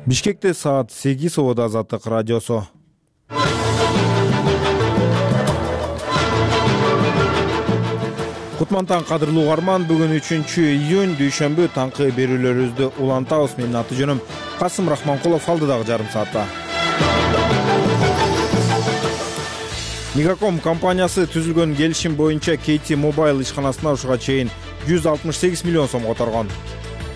Бишкекте саат 8 Обод Азаттык радиосу. Кутмантан кадырлуу угарман, бүгүн 3-июнь дүйшөмбү таңкы берүүлөрүбүздү улантабыз. Менин аты жөнүм Касым Рахманкулов, алдыдагы жарым саатта. Мегаком компаниясы түзүлгөн келишим боюнча KT Mobile ишканасына ушуга чейин 168 миллион сом которгон.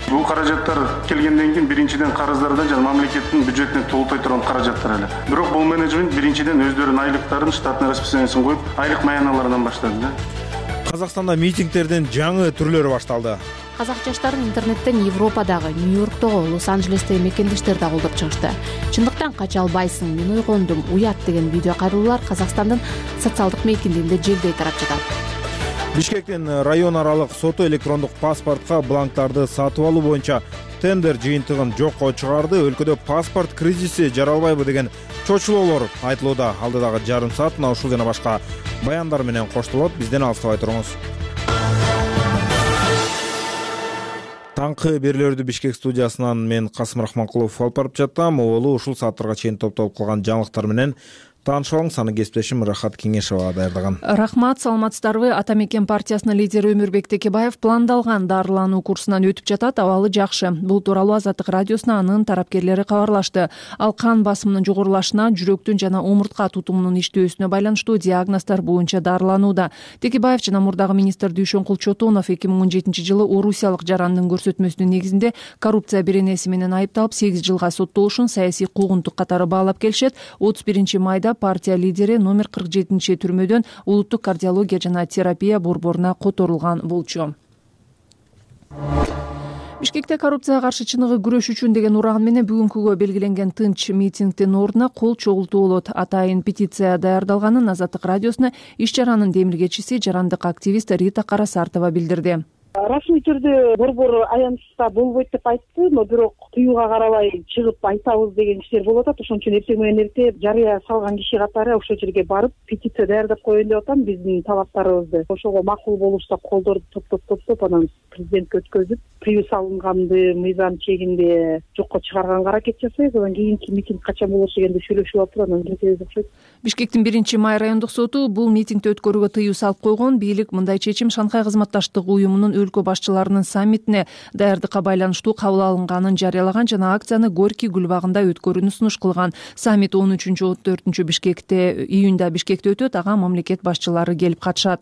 Бул каражаттар келгенден кийин биринчиден карыздардан жана мамлекеттин бюджетине толуктой турган каражаттар эле. Бирок бул менеджмент биринчиден өздөрүнүн айлыктарын, штатный расписаниясын коюп, айлык маяналардан баштады да. Казакстанда митингдердин жаңы түрлөрү башталды. Казак жаштарын интернеттен Европадагы, Нью-Йорктогу, Лос-Анджелестеги мекендештерди колдоп чыгышты. Чындыктан кача албайсың, мен ойгондум, уят деген видео кайрылуулар Казакстандын социалдык мейкиндигинде желдей тарап жатат. Бишкектин район аралык соту электрондук паспортко бланктарды сатып алуу боюнча тендер жыйынтыгын жокко чыгарды. Өлкөдө паспорт кризиси жаралбайбы деген чочулоолор айтылууда. Алдыдагы жарым саат мына ушул жана башка баяндар менен коштолот. Бизден алыстабай туруңуз. Таңкы берүүлөрдү Бишкек студиясынан мен Касым Рахманкулов алып барып жатам. Олу ушул сааттарга чейин топтолуп калган жаңылыктар менен таанышып алыңыз. Аны кесиптешим Рахат Кеңешова даярдаган. Рахмат, саламатсыздарбы? Ата мекен партиясынын лидери Өмүрбек Текебаев пландалган дарылануу курсунан өтүп жатат, абалы жакшы. Бул тууралуу Азаттык радиосуна анын тарапкерлери кабарлашты. Ал кан басымынын жогорулашына, жүрөктүн жана омуртка тутумунун иштөөсүнө байланыштуу диагноздор боюнча дарыланууда. Текебаев жана мурдагы министр Дүйшөнкул Чотонов 2017 жылы орусиялык жарандын көрсөтмөсүнүн негизинде коррупция беренеси менен айыпталып 8 жылга соттолушун саясий куугунтук катары баалап келишет. 31 майда партия лидери номер 47 түрмөдөн улуттук кардиология жана терапия борборуна которулган болчу. Бишкекте коррупцияга каршы чыныгы күрөш үчүн деген ураган менен бүгүнкүгө белгиленген тынч митингдин ордуна кол чогултуу болот. Атайын петиция даярдалганын Азаттык радиосуна иш чаранын демилгечиси, жарандык активист Рита Карасартова билдирди. Расмий түрдө борбор аянтта болбойт деп айтты, но бирок тыюуга карабай чыгып айтабыз деген иштер болуп атат. Ошон үчүн эртең менен эрте жарыя салган киши катары ошол жерге барып петиция даярдап коеюн деп атам, биздин талаптарыбызды. Ошого макул болушса колдорду топтоп анан президентке өткөзүп, тыюу салынганды мыйзам чегинде жокко чыгарганга аракет жасайбыз. Анан кийинки митинг качан болот дегенди сүйлөшүп атып, анан кетебиз окшойт. Бишкектин 1-май райондук соту бул митингди өткөрүүгө тыюу салып койгон. Бийлик мындай чечим Шанхай кызматташтык уюмунун өлкө башчыларынын саммитине даярдыкка байланыштуу кабыл алынганын жарыялаган жана акцияны Горький гүлбагында өткөрүүнү сунуш кылган. Саммит 13-14 Бишкекте июнда Бишкекте өтөт. Ага мамлекет башчылары келип катышат.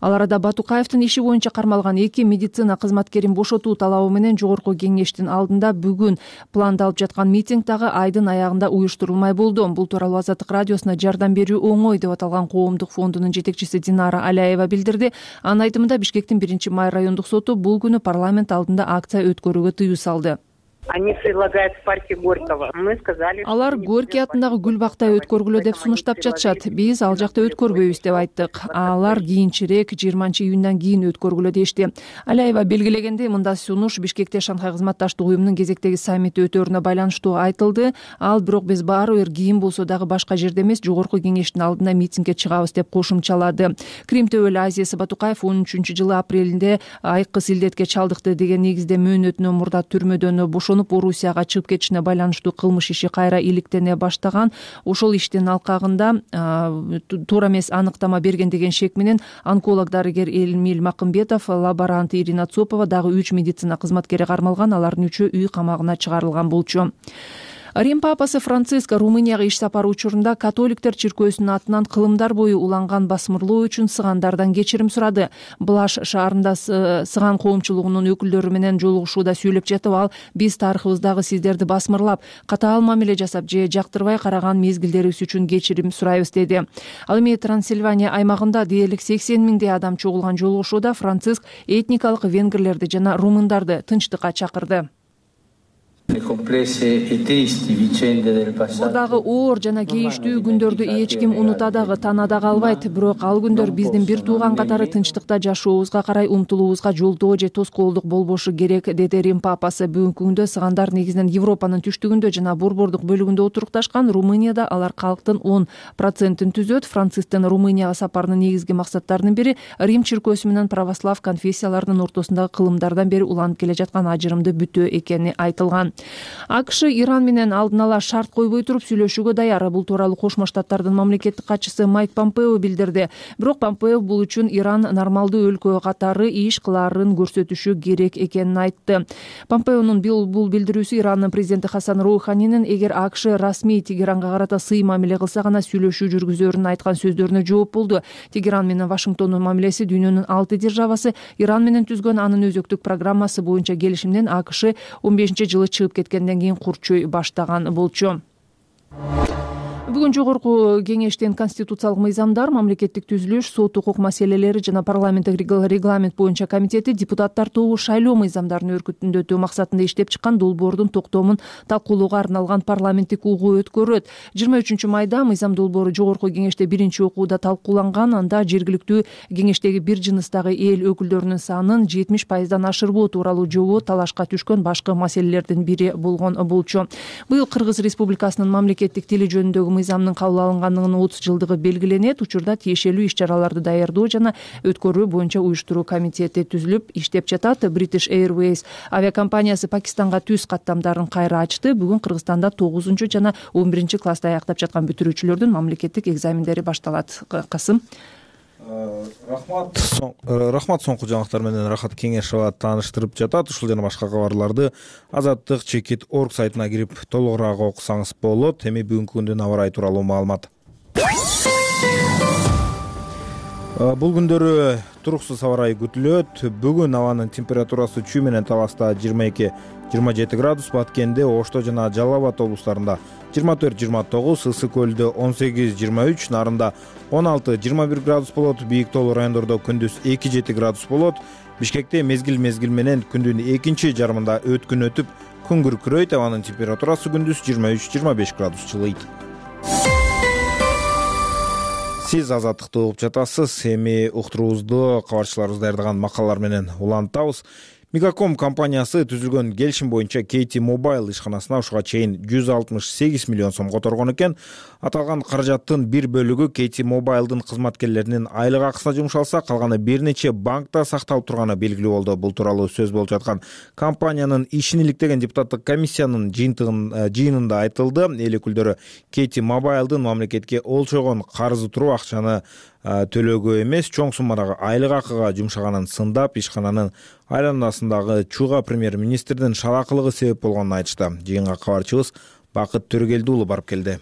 Ал арада Батукаевдин иши боюнча кармалган 2 медицина кызматкерин бошотуу талабы менен Жогорку кеңештин алдында бүгүн пландалып жаткан митинг дагы айдын аягында уюштурулмай болду. Бул тууралуу Азаттык радиосуна жардам берүү оңой деп аталган коомдук фондунун жетекчиси Динара Аляева билдирди. Анын айтымында Бишкектин 1-май райондук соту бул күнү парламент алдында акция өткөрүүгө тыюу салды. Они предлагают в парке Горького. Мы сказали, Алар Горький атындагы гүлбакта өткөргүлө деп сунуштап жатышат. Биз ал жакта өткөрбөйбүз деп айттык. Алар кийинчерээк 20-июндан кийин өткөргүлө дешти. Аляева белгилегендей, мындай сунуш Бишкекте Шанхай кызматташтык уюмунун кезектеги саммити өтөөрүнө байланыштуу айтылды. Ал бирок биз баары бир кийин болсо дагы башка жерде эмес, Жогорку кеңештин алдына митингге чыгабыз деп кошумчалады. Крим төбөлү Азия Сабатукаев 13-жылы апрелинде айкы илдетке чалдыкты деген негизде мөөнөтүнөн мурда түрмөдөн бошонуп Орусияга чыгып кетишине байланыштуу кылмыш иши кайра иликтене баштаган. Ошол иштин алкагында туура эмес аныктама берген деген шек менен онколог дарыгер Элмил Макымбетов, лаборант Ирина Цопова дагы 3 медицина кызматкери кармалган. Алардын 3-ü үй камагына чыгарылган болчу. Рим папасы Франциск Румынияга иш сапары учурунда католиктер чиркөөсүнүн атынан кылымдар бою уланган басмырлоо үчүн сыгандардан кечирим сурады. Блаш шаарында сыган коомчулугунун өкүлдөрү менен жолугушууда сүйлөп жатып, ал биз тарыхыбыздагы сиздерди басмырлап, катаал мамиле жасап же жактырбай караган мезгилдерибиз үчүн кечирим сурайбыз деди. Ал эми Трансильвания аймагында дээрлик 80 миңдей адам чогулган жолугушууда Франциск этникалык венгрлерди жана румындарды тынчтыкка чакырды. Мурдагы оор жана кейиштүү күндөрдү эч ким унута дагы, тана дагы албайт. Бирок ал күндөр биздин бир тууган катары тынчтыкта жашообузга карай умтулуубузга жолдоо же тоскоолдук болбошу керек, деди Рим папасы. Бүгүнкү күндө сыгандар негизинен Европанын түштүгүндө жана борбордук бөлүгүндө отурукташкан. Румынияда алар калктын 10% түзөт. Францисктин Румынияга сапарынын негизги максаттарынын бири Рим чиркөөсү менен православ конфессияларынын ортосундагы кылымдардан бери уланып келе жаткан ажырымды бүтөө экени айтылган. АКШ Иран менен алдын ала шарт койбой туруп сүйлөшүүгө даяр. Бул тууралуу Кошмо Штаттардын мамлекеттик катчысы Майк Помпео билдирди. Бирок Помпео бул үчүн Иран нормалдуу өлкө катары иш кылаарын көрсөтүшү керек экенин айтты. Помпеонун бул билдирүүсү Ирандын президенти Хасан Роуханинин эгер АКШ расмий Тегеранга карата сый мамиле кылса гана сүйлөшүү жүргүзөрүн айткан сөздөрүнө жооп болду. Тегеран менен Вашингтондун мамилеси дүйнөнүн 6 державасы Иран менен түзгөн анын өзөктүк программасы боюнча келишимден АКШ 15-жылы чыгып кеткенден кийин курчой баштаган болчу. Бүгүн жогорку кеңештен конституциялык мыйзамдар, мамлекеттик түзүлүш, сот укук маселелери жана парламенттик регламент боюнча комитети депутаттар тобу шайлоо мыйзамдарын өркүтүндөтүү максатында иштеп чыккан долбоордун токтомун талкуулоого арналган парламенттик угуу өткөрөт. 23 майда мыйзам долбоору жогорку кеңеште биринчи окууда талкууланган. Анда жергиликтүү кеңештеги бир жыныстагы эл өкүлдөрүнүн санын 70% ашырбоо тууралуу жобо талашка түшкөн башкы маселелердин бири болгон болчу. Быйыл Кыргыз Республикасынын мамлекеттик тили жөнүндөгү мыйзамдын кабыл алынгандыгынын 30 жылдыгы белгиленет. Учурда тиешелүү иш-чараларды даярдоо жана өткөрүү боюнча уюштуруу комитети түзүлүп иштеп жатат. British Airways авиакомпаниясы Пакистанга түз каттамдарын кайра ачты. Бүгүн Кыргызстанда 9 жана 11 класста аяктап жаткан бүтүрүүчүлөрдүн мамлекеттик экзамендери башталат. Касым. Рахмат, соңку жаңылыктар менен Рахат Кеңешова тааныштырып жатат. Ушул жана башка кабарларды Азаттык чекит орг сайтына кирип толугураак окусаңыз болот. Эми бүгүнкү күндүн аба ырайы тууралуу маалымат. Бул күндөрү туруксуз аба ырайы күтүлөт. Бүгүн абанын температурасы Чүй менен Таласта 22-27 градус, Баткенде, Ошто жана Жалал Абад облустарында 24-29, Ысык көлдө 18-23, Нарында 16-21 градус болот. Бийик тоолуу райондордо күндүз 2-7 градус болот. Бишкекте мезгил менен күндүн экинчи жарымында өткүн өтүп, күн күркүрөйт. Абанын температурасы күндүз 23-25 градус жылыйт. Сиз Азаттыкты угуп жатасыз. Эми уктуруубузду кабарчыларыбыз даярдаган макалалар менен улантабыз. Мегаком компаниясы түзүлгөн келишим боюнча KT Mobile ишканасына ушуга чейин 168 миллион сом которгон экен. Аталган каражаттын бир бөлүгү KT Mobile'дын кызматкерлеринин айлык акысына жумшалса, калганы бир нече банкта сакталып турганы белгилүү болду. Бул тууралуу сөз болуп жаткан компаниянын ишин иликтеген депутаттык комиссиянын жыйынында айтылды. Эл өкүлдөрү KT Mobile'дын мамлекетке олчогон карызы туруп акчаны төлөөгө эмес, чоң суммадагы айлык акыга жумшаганын сындап, ишкананын айланасындагы чууга премьер-министрдин шаракылыгы себеп болгонун айтышты. Жыйынга кабарчыбыз Бакыт Төрөгелди уулу барып келди.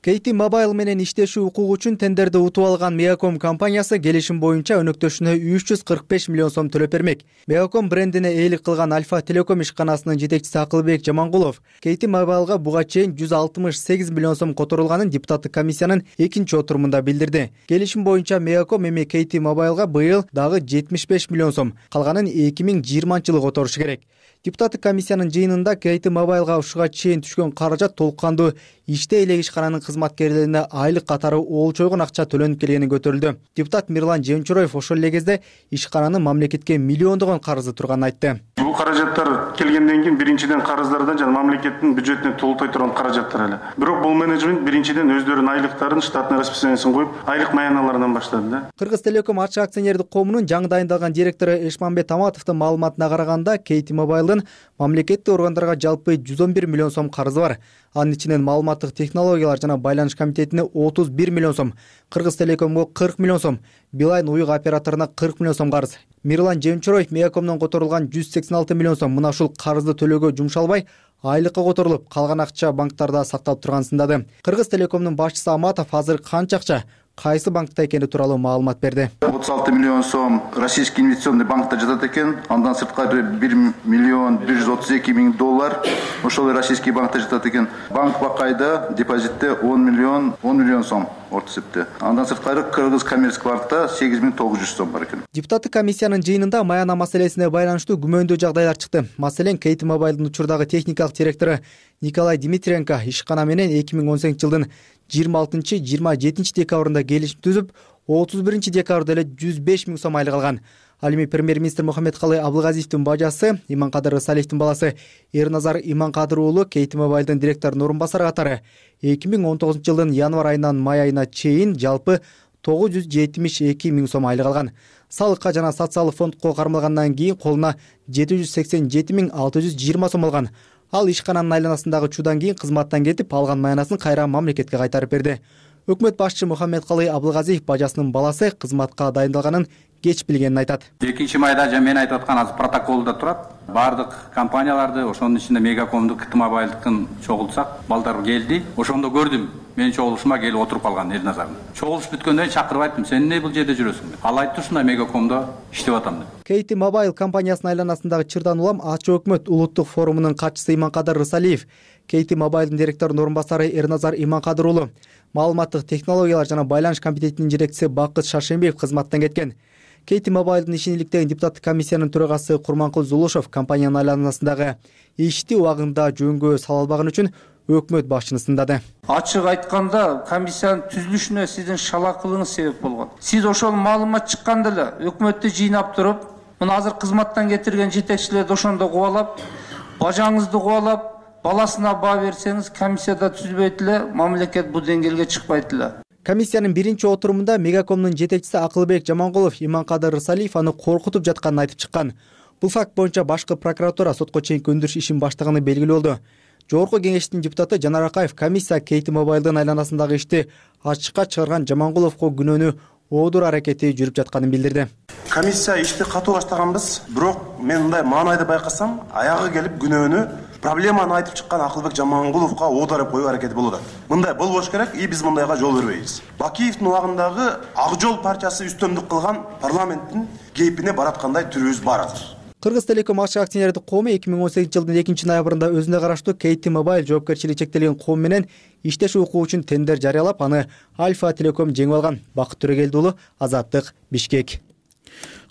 KT Mobile менен иштешүү укугу үчүн тендерди утуп алган Мегаком компаниясы келишим боюнча өнөктөшүнө 345 миллион сом төлөп бермек. Мегаком брендине ээлик кылган Альфа Телеком ишканасынын жетекчиси Акылбек Жамангулов KT Mobile'га буга чейин 168 миллион сом которулганын депутаттык комиссиянын экинчи отурумунда билдирди. Келишим боюнча Мегаком эми KT Mobile'га быйыл дагы 75 миллион сом, калганын 2020-жылы которушу керек. Депутаттык комиссиянын жыйынында KT Mobile'га ушуга чейин түшкөн каражат толук кандуу иште элек ишкананын кызматкерлерине айлык катары олчойгон акча төлөнүп келгени көтөрүлдү. Депутат Мирлан Жемчуроев ошол эле кезде ишкананын мамлекетке миллиондогон карызы турганын айтты. Бул каражаттар келгенден кийин биринчиден карыздардан жана мамлекеттин бюджетине толуктay турган каражаттар эле. Бирок бул менеджмент биринчиден өздөрүнүн айлыктарын, штатный расписаниясын коюп, айлык маяналарынан баштады да. Кыргыз Телеком ачык акционердик коомунун жаңы дайындалган директору Эшманбет Аматовдун маалыматына караганда, KT Mobile'дын мамлекеттик органдарга жалпы 111 миллион сом карызы бар. Анын ичинен маалыматтык технологиялар жана байланыш комитетине 31 миллион сом, Кыргыз Телекомго 40 миллион сом, Билайн уюк операторуна 40 миллион сом карыз. Мирлан Жемчуроев Мегакомдон которулган 186 миллион сом мына ушул карызды төлөөгө жумшалбай, айлыкка которулуп, калган акча банктарда сакталып турганын сындады. Кыргыз Телекомдун башчысы Аматов азыр канча акча кайсы банкта экени тууралуу маалымат берди. 36 миллион сом Российский инвестиционный банкта жатат экен. Андан сырткары 1 миллион 132 миң доллар ошол российский банкта жатат экен. Банк бакайда депозитте 10 миллион сом орто эсепте. Андан сырткары Кыргыз коммерческий банкта 8900 сом бар экен. Депутаттык комиссиянын жыйынында маяна маселесине байланыштуу күмөндүү жагдайлар чыкты. Маселен, KT Mobile'дын учурдагы техникалык директору Николай Дмитриенко ишкана менен 2018 жылдын 26-27 декабрында келишим түзүп, 31 декабрда эле 105 миң сом айлык алган. Ал эми премьер-министр Мухаммедкалый Абылгазиевдин бажасы, Иманкадыр Салихтин баласы Эрназар Иманкадыр уулу KT Mobile'дын директорунун орун басары катары 2019 жылдын январь айынан май айына чейин жалпы 972 миң сом айлык алган. Салыкка жана социалдык фондко кармалгандан кийин колуна 787 миң 620 сом алган. Ал ишкананын айланасындагы учуудан кийин кызматтан кетип, алган маянасын кайра мамлекетке кайтарып берди. Өкмөт башчы Мухаммедкалый Абылгазиев бажасынын баласы кызматка дайындалганын кеч билгенин айтат. 2 майда мен айтып аткан азыр протоколдо турат. Бардык компанияларды, ошонун ичинде Мегакомду, КТ Мобайлдыкын чогултсак, балдар келди. Ошондо көрдүм. Менин чогулушума келип отуруп калган Эрназардын. Чогулуш бүткөндөн кийин чакырып айттым, сен эмне бул жерде жүрөсүң деп. Ал айтты, ушундай Мегакомдо иштеп атам деп. КТ Mobile компаниясынын айланасындагы чырдан улам Ачуу өкмөт улуттук форумунун катчысы Иманкадыр Рысалиев, КТ Mobile'дын директорунун орун басары Эрназар Иманкадыр уулу, маалыматтык технологиялар жана байланыш комитетинин жетекчиси Бакыт Шаршембиев кызматтан кеткен. КТ Mobile'дын ишин иликтеген депутаттык комиссиянын төрагасы Курманкул Зулушев компаниянын айланасындагы ишти убагында жөнгө сала албаганы үчүн өкмөт башчыны сындады. Ачык айтканда, комиссиянын түзүлүшүнө сиздин шалакылыгыңыз себеп болгон. Сиз ошол маалымат чыкканда эле өкмөттү жыйнап туруп, мына азыр кызматтан кетирген жетекчилерди ошондо кубалап, бажаңызды кубалап, баласына баа берсеңиз, комиссияда түзбөйт эле, мамлекет бул деңгээлге чыкпайт эле. Комиссиянын биринчи отурумунда Мегакомдун жетекчиси Акылбек Жамангулов Иманкадыр Рысалиев аны коркутуп жатканын айтып чыккан. Бул факт боюнча башкы прокуратура сотко чейинки өндүрүш ишин баштаганы белгилүү болду. Жогорку кеңештин депутаты Жанар Акаев комиссия КТ Mobile'дын айланасындагы ишти ачыкка чыгарган Жамангуловго күнөөнү оодур аракети жүрүп жатканын билдирди. Комиссия ишти катуу баштаганбыз, бирок мен мындай маанайды байкасам, аягы келип күнөөнү проблеманы айтып чыккан Акылбек Жамангуловго оодарып коюу аракети болуп атат. Мындай болбош керек, биз мындайга жол бербейбиз. Бакиевдин убагындагы Ак Жол партиясы үстөмдүк кылган парламенттин кейпине бараткандай түрүбүз бар азыр. Кыргыз Телеком акча акционердик коому 2018 жылдын 2-ноябрында өзүнө караштуу КТ Mobile жоопкерчилиги чектелген коом менен иштешүү укугу үчүн тендер жарыялап, аны Альфа Телеком жеңип алган. Бакыт Төрөгелди уулу, Азаттык, Бишкек.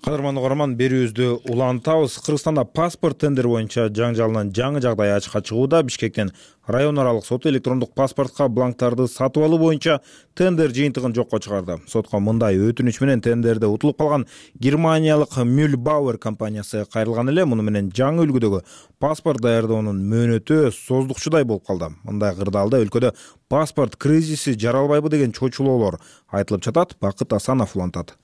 Кадырман угарман, берүүбүздү улантабыз. Кыргызстанда паспорт тендери боюнча жаңжалынан жаңы жагдай ачыкка чыгууда. Бишкектен район аралык соту электрондук паспортко бланктарды сатып алуу боюнча тендер жыйынтыгын жокко чыгарды. Сотко мындай өтүнүч менен тендерде утулуп калган германиялык Mühlbauer компаниясы кайрылган эле. Муну менен жаңы үлгүдөгү паспорт даярдоонун мөөнөтү создукчудай болуп калды. Мындай кырдаалда өлкөдө паспорт кризиси жаралбайбы деген чочулоолор айтылып жатат. Бакыт Асанов улантат.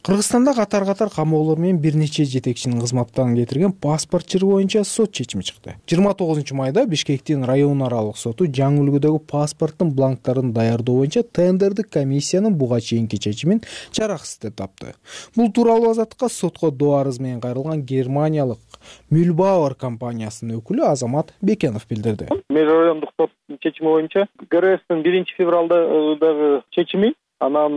Кыргызстанда катар камоолор менен бир нече жетекчинин кызматтан кетирген паспорт чыры боюнча сот чечими чыкты. 29 майда Бишкектин район аралык соту жаңы үлгүдөгү паспорттун бланктарын даярдоо боюнча тендердик комиссиянын буга чейинки чечимин жараксыз деп тапты. Бул тууралуу Азаттыкка сотко доо арыз менен кайрылган германиялык Mühlbauer компаниясынын өкүлү Азамат Бекенов билдирди. Меж райондук соттун чечими боюнча ГРСтин 1-февралдагы чечими, анан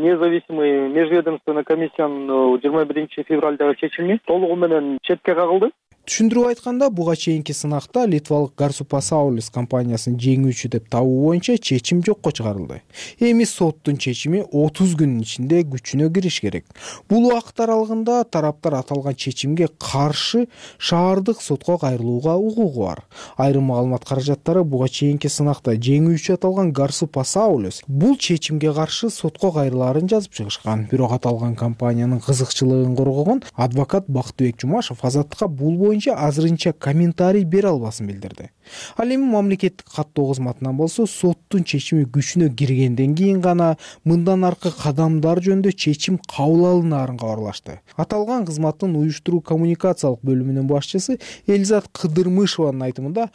независимый межведомственный комиссиянын 21-февралдагы чечими толугу менен четке кагылды. Түшүндүрүп айтканда, буга чейинки сынакта Литвалык Garsupasaulus компаниясын жеңүүчү деп табуу боюнча чечим жокко чыгарылды. Эми соттун чечими 30 күнүн ичинде күчүнө кириш керек. Бул убакыт аралыгында тараптар аталган чечимге каршы шаардык сотко кайрылууга укугу бар. Айрым маалымат каражаттары буга чейинки сынакта жеңүүчү аталган Garsupasaulus бул чечимге каршы сотко кайрылаарын жазып чыгышкан. Бирок аталган компаниянын кызыкчылыгын коргогон адвокат Бактыбек Жумашев Азаттыкка бул азырынча комментарий бере албасын билдирди. Ал эми мамлекеттик каттоо кызматынан болсо соттун чечими күчүнө киргенден кийин гана мындан аркы кадамдар жөнүндө чечим кабыл алынаарын кабарлашты. Аталган кызматтын уюштуруу коммуникациялык бөлүмүнүн башчысы Элизат Кыдырмышеванын айтымында,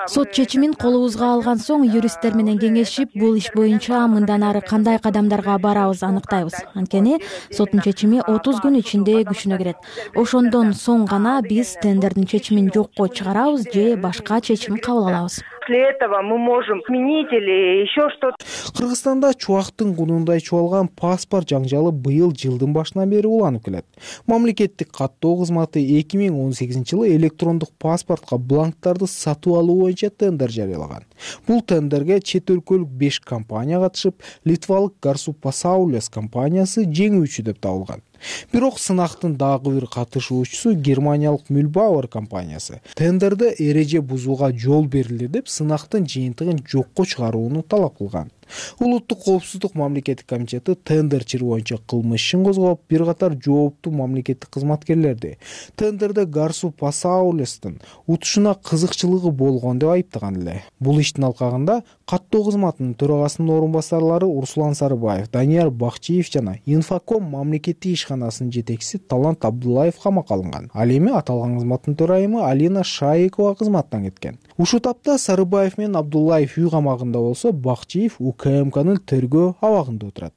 сот чечимин колубузга алган соң юристтер менен кеңешип, бул иш боюнча мындан ары кандай кадамдарга барабыз аныктайбыз. Анткени соттун чечими 30 күн ичинде күчүнө кирет. Ошондон соң гана биз тендердин чечимин жокко чыгарабыз же башка чечим кабыл алабыз. После этого мы можем сменить или еще что-то. Кыргызстанда чубактын кунундай чубалган паспорт жаңжалы быйыл жылдын башынан бери уланып келет. Мамлекеттик каттоо кызматы 2018 жылы электрондук паспортко бланктарды сатып алуу боюнча тендер жарыялаган. Бул тендерге чет өлкөлүк 5 компания катышып, Литвалык Garsupasaulus компаниясы жеңүүчү деп табылган. Бирок сынактын дагы бир катышуучусу Германиялык Mühlbauer компаниясы тендерде эреже бузууга жол берилди деп сынактын жыйынтыгын жокко чыгарууну талап кылган. Улуттук коопсуздук мамлекеттик комитети тендер чыры боюнча кылмыш ишин козгоп, бир катар жооптуу мамлекеттик кызматкерлерди тендерде Гарсу Пасаулестин утушуна кызыкчылыгы болгон деп айыптаган эле. Бул иштин алкагында каттоо кызматынын төрагасынын орун басарлары Урсулан Сарыбаев, Данияр Бакчиев жана Инфоком мамлекеттик ишканасынын жетекчиси Талант Абдуллаев камакка алынган. Ал эми аталган кызматтын төрайымы Алина Шаикова кызматтан кеткен. Ушул тапта Сарыбаев менен Абдуллаев үй камагында болсо, Бакчиев УКМКнын тергөө абагында отурат.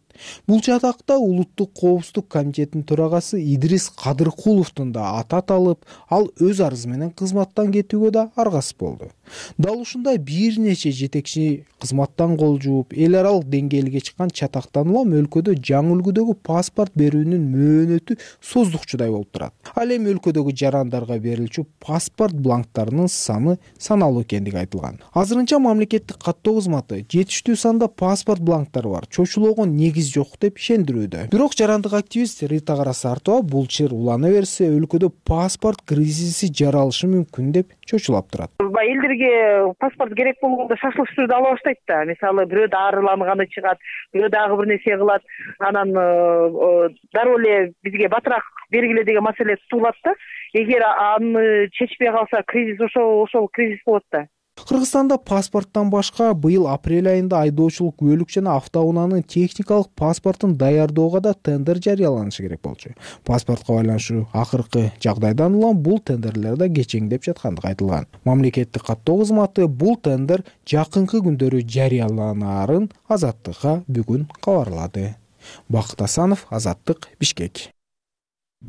Бул жатакта Улуттук коопсуздук комитетинин төрагасы Идрис Кадыркуловдун да аты аталып, ал өз арызы менен кызматтан кетүүгө да аргасыз болду. Дал ушундай бир нече жетекчи кызматтан кол жууп, эл аралык деңгээлге чыккан чатактан улам өлкөдө жаңы үлгүдөгү паспорт берүүнүн мөөнөтү создукчудай болуп турат. Ал эми өлкөдөгү жарандарга берилчү паспорт бланктарынын саны саналуу экендиги айтылган. Азырынча мамлекеттик каттоо кызматы жетиштүү санда паспорт бланктары бар, чочулоого негиз жок деп ишендирүүдө. Бирок жарандык активист Рита Карасартова бул чыр улана берсе, өлкөдө паспорт кризиси жаралышы мүмкүн деп чочулап турат. Элдерге паспорт керек болгондо шашылыш түрдө ала баштайт да. Мисалы бирөө дарыланганы чыгат, бирөө дагы бир нерсе кылат. Анан дароо эле бизге батыраак бергиле деген маселе туулат да. Эгер аны чечпей калса, кризис ошол кризис болот да. Кыргызстанда паспорттон башка быйыл апрель айында айдоочулук көлүк жана автоунаанын техникалык паспортун даярдоого да тендер жарыяланышы керек болчу. Паспортко байланыштуу акыркы жагдайдан улам бул тендерлерде кечеңдеп жаткандыгы айтылган. Мамлекеттик каттоо кызматы бул тендер жакынкы күндөрү жарыяланаарын Азаттыкка бүгүн кабарлады. Бакыт Асанов, Азаттык, Бишкек.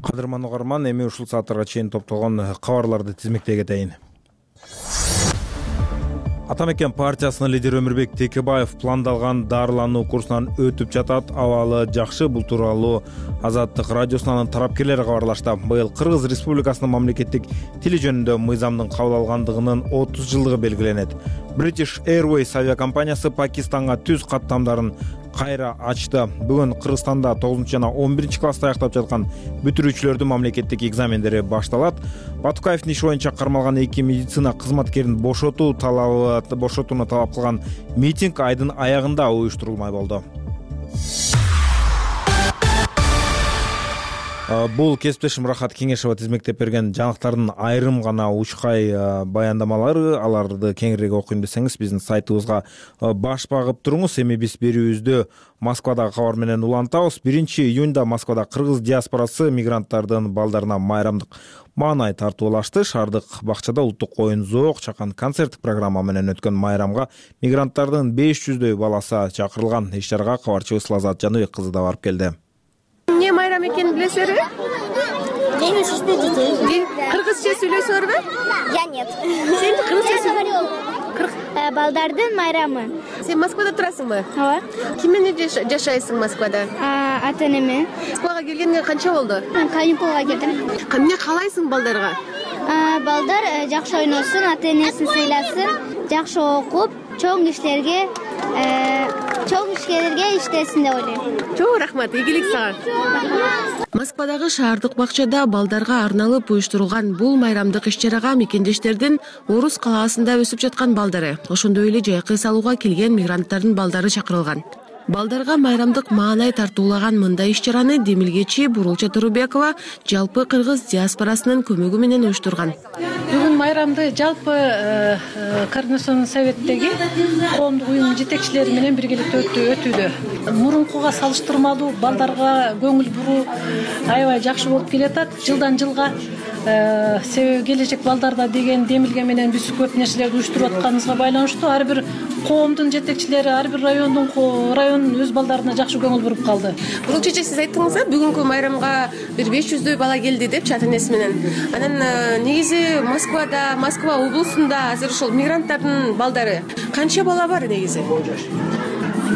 Кадырман угарман, эми ушул сааттарга чейин топтолгон кабарларды тизмектей кетейин. Атамекен партиясынын лидери Өмүрбек Текебаев пландалган дарылануу курсунан өтүп жатат. Абалы жакшы. Бул тууралуу Азаттык радиосунун тарапкерлери кабарлашты. Быйыл Кыргыз Республикасынын мамлекеттик тили жөнүндө мыйзамдын кабыл алгандыгынын 30 жылдыгы белгиленет. British Airways авиакомпаниясы Пакистанга түз каттамдарын кайра ачты. Бүгүн Кыргызстанда 9 жана 11 класста аяктап жаткан бүтүрүүчүлөрдүн мамлекеттик экзамендери башталат. Батукаевдин иши боюнча кармалган 2 медицина кызматкерин бошотууну талап кылган митинг айдын аягында уюштурулмай болду. Бул кесиптешим Рахат Кеңешова тизмектеп берген жаңылыктардын айрым гана учкай баяндамалары. Аларды кеңирээк окуйм десеңиз биздин сайтыбызга баш багып туруңуз. Эми биз берүүбүздү Москвадагы кабар менен улантабыз. 1-июнда Москвада кыргыз диаспорасы мигранттардын балдарына майрамдык маанай тартуулашты. Шаардык бакчада улуттук оюн зоок чакан концерттик программа менен өткөн майрамга мигранттардын 500дөй баласы чакырылган. Иш-чарага кабарчыбыз Лазат Жаныбек кызы да барып келди. Эмне майрам экенин билесиңерби? День детей. Кыргызча сүйлөйсүңөрбү? Я нет. Сен кыргызча сүйлөйсүң? Балдардын майрамы. Сен Москвада турасыңбы? Ооба. Ким менен жашайсың Москвада? Ата-энеме. Москвага келгениңе канча болду? Каникулга келдим. Эмне каалайсың балдарга? Балдар жакшы ойносун, ата-энесин сыйласын, жакшы окуп, чоң иштерге иштесин деп ойлойм. Чоң рахмат, ийгилик сага. Москвадагы шаардык бакчада балдарга арналып уюштурулган бул майрамдык иш-чарага мекендештердин Орус калаасында өсүп жаткан балдары, ошондой эле жайкы салууга келген мигранттардын балдары чакырылган. Балдарга майрамдык маанай тартуулаган мындай иш-чараны демилгечи Бурулча Турубекова жалпы кыргыз диаспорасынын көмөгү менен уюштурган. Бүгүн майрамды жалпы Координационный советтеги коомдук уюм жетекчилери менен биргеликте өтүүдө. Мурункуга салыштырмалуу балдарга көңүл буруу аябай жакшы болуп келатат. Жылдан жылга себеби келечек балдарда деген демилге менен биз көп нерселерди уюштуруп атканыбызга байланыштуу ар бир коомдун жетекчилери, ар бир район өз балдарына жакшы көңүл буруп калды. Бурул чече, сиз айттыңыз да, бүгүнкү майрамга бир 500дөй бала келди депчи ата-энеси менен. Анан негизи Москва облусунда азыр ошол мигранттардын балдары канча бала бар негизи?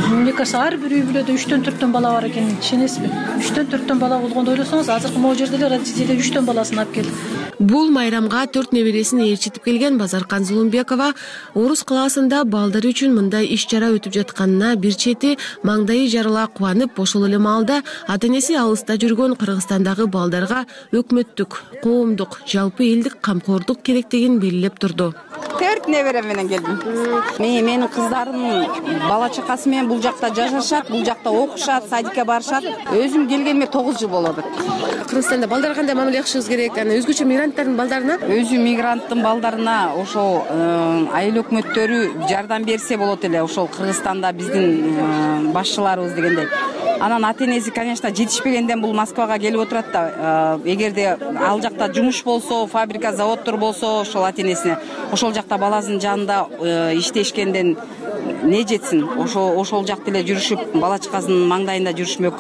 Мне кажется, ар бир үй бүлөдө 3-4 бала бар экенин ишенесизби? 3-4 бала болгондо ойлосоңуз, азыркы могу жерде эле родители 3 баласын алып келди. Бул майрамга 4 небересин ээрчитип келген Базаркан Зулумбекова Орус калаасында балдар үчүн мындай иш-чара өтүп жатканына бир чети маңдайы жарыла кубанып, ошол эле маалда ата-энеси алыста жүргөн Кыргызстандагы балдарга өкмөттүк, коомдук, жалпы элдик камкордук керектигин белгилеп турду. 4 неберем менен келдим. Менин кыздарым бала чакасы менен менен бул жакта жашашат, бул жакта окушат, садикке барышат. Өзүм келгениме 9 жыл болот. Кыргызстанда балдарга кандай мамиле кылышыбыз керек? Анан өзгөчө мигранттардын балдарына? Өзү мигранттын балдарына ошол айыл өкмөттөрү жардам берсе болот эле. Ошол Кыргызстанда биздин башчыларыбыз дегендей. Анан ата-энеси, конечно, жетишпегенден бул Москвага келип отурат да. Эгерде ал жакта жумуш болсо, фабрика, заводдор болсо, ошол ата-энесине ошол жакта баласынын жанында иштешкенден не жетсин? Ошол жакта эле жүрүшүп, бала чакасынын маңдайында жүрүшмөк.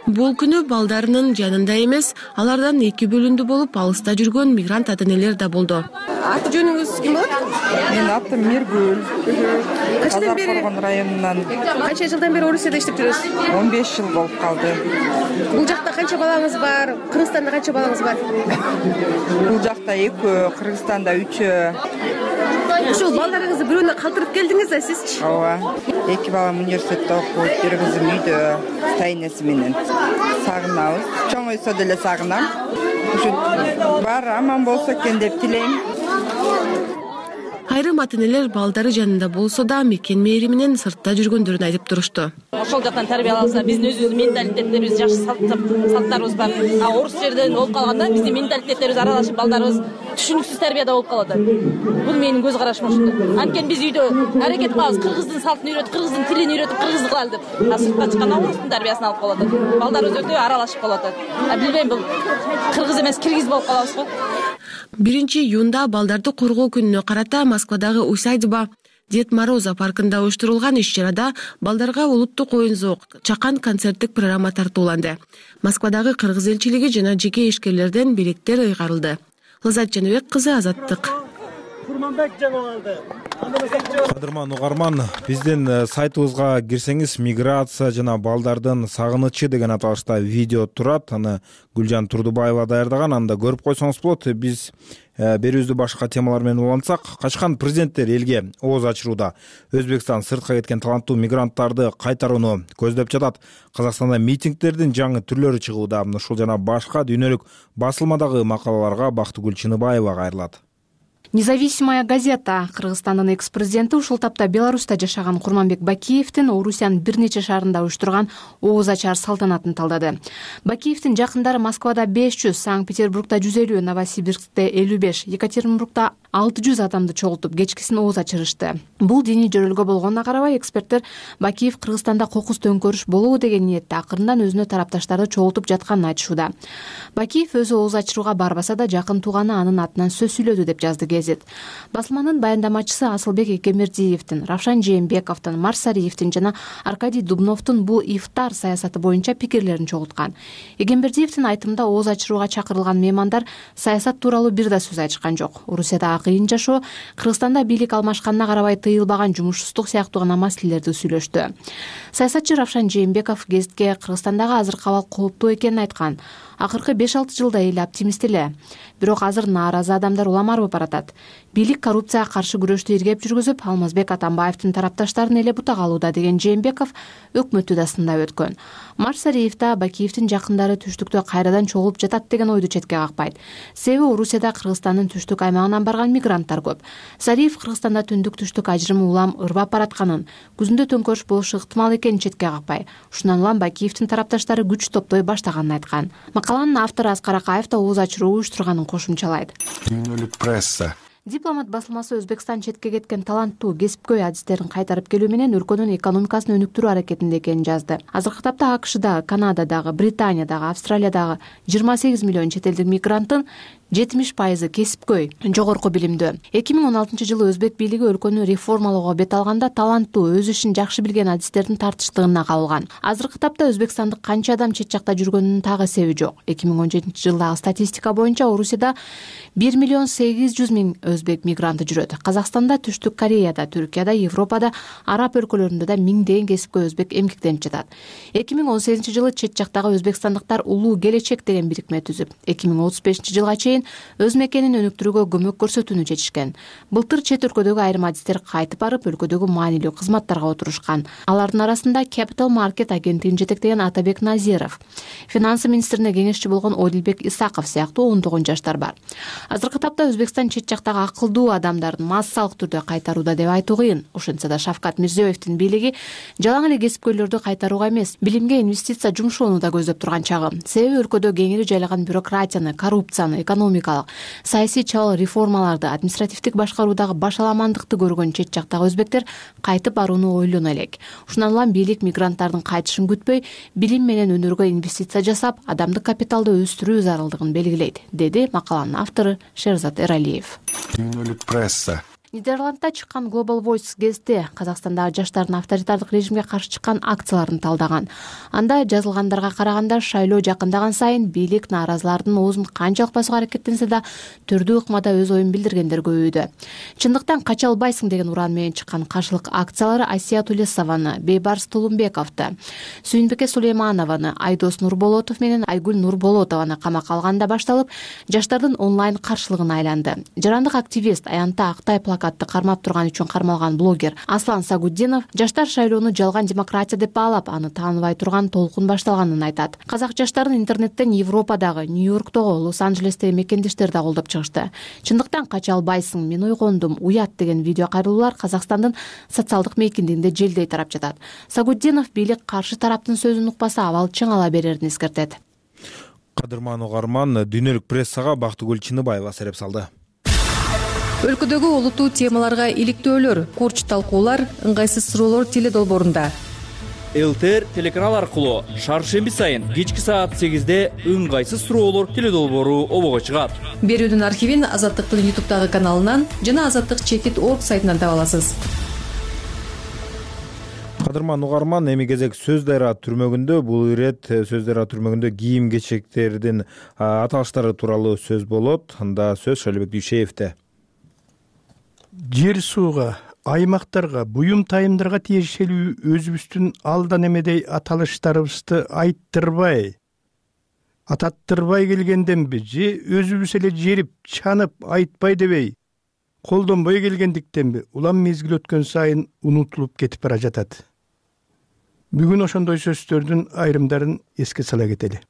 Бул күнү балдарынын жанында эмес, алардан эки бөлүндүү болуп алыста жүргөн мигрант ата-энелер да болду. Аты жөнүңүз ким болот? Менин атым Миргүл. Качадан бери? Казакоргон районунан. Канча жылдан бери Орусияда иштеп жүрөсүз? 15 жыл болуп калды. Бул жакта канча балаңыз бар? Кыргызстанда канча балаңыз бар? Бул жакта 2, Кыргызстанда 3. Ушул балдарыңызды бирөөнө калтырып келдиңиз да сизчи? Ооба. 2 балам университетте окуйт, бир кызым үйдө стайнеси менен. Сагынабыз. Чоңойсо деле сагынам. Ушу баары аман болсо экен деп тилейм. Айрым ата-энелер балдары жанында болсо да мекен мээри менен сыртта жүргөндөрүн айтып турушту. Ошол жактан тарбия алса, биздин өзүбүздүн менталитеттерибиз, жакшы салттарыбыз бар. Орус жерден болуп калганда биздин менталитеттерибиз аралашып, балдарыбыз түшүнүксүз тарбияда болуп калат. Бул менин көз карашым ошондой. Анткени биз үйдө аракет кылабыз, кыргыздын салтын үйрөтүп, кыргыздын тилин үйрөтүп, кыргызды кылалы деп. Сыртка чыкканда орустун тарбиясын алып калып атат. Балдарыбыз өтө аралашып калып атат. Билбейм, бул кыргыз эмес, киргиз болуп калабыз го. 1-июнда балдарды коргоо күнүнө карата Москвадагы Усадьба Дед Мороза паркында уюштурулган иш-чарада балдарга улуттук оюн-зоок, чакан концерттик программа тартууланды. Москвадагы кыргыз элчилиги жана жеке ишкерлерден бийликтер ыйгарылды. Лазат Жаныбек кызы, Азаттык. Кадырман угарман, биздин сайтыбызга кирсеңиз миграция жана балдардын сагынычы деген аталышта видео турат. Аны Гүлжан Турдубаева даярдаган, анда көрүп койсоңуз болот. Биз берүүбүздү башка темалар менен улантсак, качкан президенттер элге ооз ачырууда. Өзбекстан сыртка кеткен таланттуу мигранттарды кайтарууну көздөп жатат. Казакстанда митингдердин жаңы түрлөрү чыгууда. Ушул жана башка дүйнөлүк басылмадагы макалаларга Бактыгүл Чыныбаева кайрылат. Независимая газета Кыргызстандын экс-президенти ушул тапта Беларуста жашаган Курманбек Бакиевдин Орусиянын бир нече шаарында уюштурган ооз ачар салтанатын талдады. Бакиевдин жакындары Москвада 500, Санкт-Петербургда 150, Новосибирскте 55, Екатеринбургда 600 адамды чогултуп кечкисин ооз ачырышты. Бул диний жөрөлгө болгонуна карабай, эксперттер Бакиев Кыргызстанда кокус төңкөрүш болобу деген ниетте акырындан өзүнө тарапташтарды чогултуп жатканын айтышууда. Бакиев өзү ооз ачырууга барбаса да, жакын тууганы анын атынан сөз сүйлөдү деп жазды газета. Басылманын баяндамачысы Асылбек Экемердиевдин, Равшан Жээнбековдун, Марсариевдин жана Аркадий Дубновдун бул ифтар саясаты боюнча пикирлерин чогулткан. Экемердиевдин айтымында ооз ачырууга чакырылган меймандар саясат тууралуу бир да сөз айтышкан жок. Орусияда кыйын жашоо, Кыргызстанда бийлик алмашканына карабай тыйылбаган жумушсуздук сыяктуу гана маселелерди сүйлөштү. Саясатчы Равшан Жээнбеков гезитке Кыргызстандагы азыркы абал кооптуу экенин айткан. Акыркы 5-6 жылда эл оптимист эле. Бирок азыр нааразы адамдар улам арбып баратат. Бийлик коррупцияга каршы күрөштү иргеп жүргүзүп, Алмазбек Атамбаевдин тарапташтарын эле бутак алууда деген Жээнбеков өкмөттү да сындап өткөн. Марсариев да Бакиевдин жакындары түштүктө кайрадан чогулуп жатат деген ойду четке какпайт. Себеби Орусияда Кыргызстандын түштүк аймагынан барган мигранттар көп. Сариев Кыргызстанда түндүк-түштүк ажырымы улам ырбап баратканын, күзүндө төңкөрүш болушу ыктымал экенин четке какпай. Ушундан улам Бакиевдин тарапташтары күч топтой баштаганын айткан. Макаланын автору Аскар Акаев да ооз ачыруу уюштурганын кошумчалайт. Дүйнөлүк пресса Дипломат басылмасы Өзбекстан четке кеткен таланттуу кесипкөй адистерин кайтарып келүү менен өлкөнүн экономикасын өнүктүрүү аракетинде экенин жазды. Азыркы тапта АКШда, Канададагы, Британиядагы, Австралиядагы 28 миллион чет элдик мигранттын 70% кесипкөй, жогорку билимдүү. 2016-жылы өзбек бийлиги өлкөнү реформалоого бет алганда таланттуу, өз ишин жакшы билген адистердин тартыштыгына кабылган. Азыркы тапта өзбекстандык канча адам чет жакта жүргөнүнүн так эсеби жок. 2017-жылдагы статистика боюнча Орусияда 1 миллион 800 миң өзбек мигранты жүрөт. Казакстанда, Түштүк Кореяда, Түркияда, Европада, араб өлкөлөрүндө да миңдеген кесипкөй өзбек эмгектенип жатат. 2018-жылы чет жактагы өзбекстандыктар улуу келечек деген бирикме түзүп, 2035-жылга чейин чейин өз мекенин өнүктүрүүгө көмөк көрсөтүүнү чечишкен. Былтыр чет өлкөдөгү айрым адистер кайтып барып, өлкөдөгү маанилүү кызматтарга отурушкан. Алардын арасында Capital Market агенттигин жетектеген Атабек Назиров, финансы министрине кеңешчи болгон Одилбек Исаков сыяктуу ондогон жаштар бар. Азыркы тапта Өзбекстан чет жактагы акылдуу адамдардын массалык түрдө кайтарууда деп айтуу кыйын. Ошентсе да Шавкат Мирзиёевдин бийлиги жалаң эле кесипкөйлөрдү кайтарууга эмес, билимге инвестиция жумшоону да көздөп турган чагы. Себеби өлкөдө кеңири жайлаган бюрократияны, коррупцияны, экономикалык, саясий чабал реформаларды, административдик башкаруудагы башаламандыкты көргөн чет жактагы өзбектер кайтып барууну ойлоно элек. Ушундан улам бийлик мигранттардын кайтышын күтпөй, билим менен өнөргө инвестиция жасап, адамдык капиталды өстүрүү зарылдыгын белгилейт, деди макаланын автору Шерзат Эралиев. Пресса. Нидерландда чыккан Global Voice гезити Казакстандагы жаштардын авторитардык режимге каршы чыккан акцияларын талдаган. Анда жазылгандарга караганда шайлоо жакындаган сайын бийлик нааразылардын оозун канчалык басууга аракеттенсе да түрдүү ыкмада өз оюн билдиргендер көбөйдү. Чындыктан кача албайсың деген уран менен чыккан каршылык акциялары Асия Тулесованы, Бейбарс Тулумбековду, Сүйүнбеке Сулейманованы, Айдос Нурболотов менен Айгүл Нурболотованы камакка алганда башталып, жаштардын онлайн каршылыгына айланды. Жарандык активист Аянта Актай плакатты кармап турган үчүн кармалган блогер Аслан Сагуддинов жаштар шайлоону жалган демократия деп баалап, аны тааныбай турган толкун башталганын айтат. Казак жаштарын интернеттен Европадагы, Нью-Йорктогу, Лос-Анджелестеги мекендештер да колдоп чыгышты. Чындыктан кача албайсың, мен ойгондум, уят деген видео кайрылуулар Казакстандын социалдык мейкиндигинде желдей тарап жатат. Сагуддинов бийлик каршы тараптын сөзүн укпаса абал чың ала берерин эскертет. Кадырман угарман, дүйнөлүк прессага Бактыгүл Чыныбаева сереп салды. Өлкөдөгү олуттуу темаларга иликтөөлөр, курч талкуулар, ыңгайсыз суроолор теле долбоорунда. ЛТР телеканал аркылуу шаршемби сайын кечки саат 8-де ыңгайсыз суроолор теле долбоору обого чыгат. Берүүнүн архивин Азаттыктын YouTube'дагы каналынан жана Азаттык чекит орг сайтынан таба аласыз. Кадырман угарман, эми кезек Сөз Дайра түрмөгүндө. Бул ирет Сөз Дайра түрмөгүндө кийим кечектердин аталыштары тууралуу сөз болот. Анда сөз Шалибек Дүйшеевде. Жер сууга, аймактарга, буюм тайымдарга тиешелүү өзүбүздүн алдан эмедей аталыштарыбызды айттырбай, ататтырбай келгенденби же өзүбүз эле жерип, чанып, айтпай дебей, колдонбой келгендиктенби улам мезгил өткөн сайын унутулуп кетип бара жатат. Бүгүн ошондой сөздөрдүн айрымдарын эске сала кетели.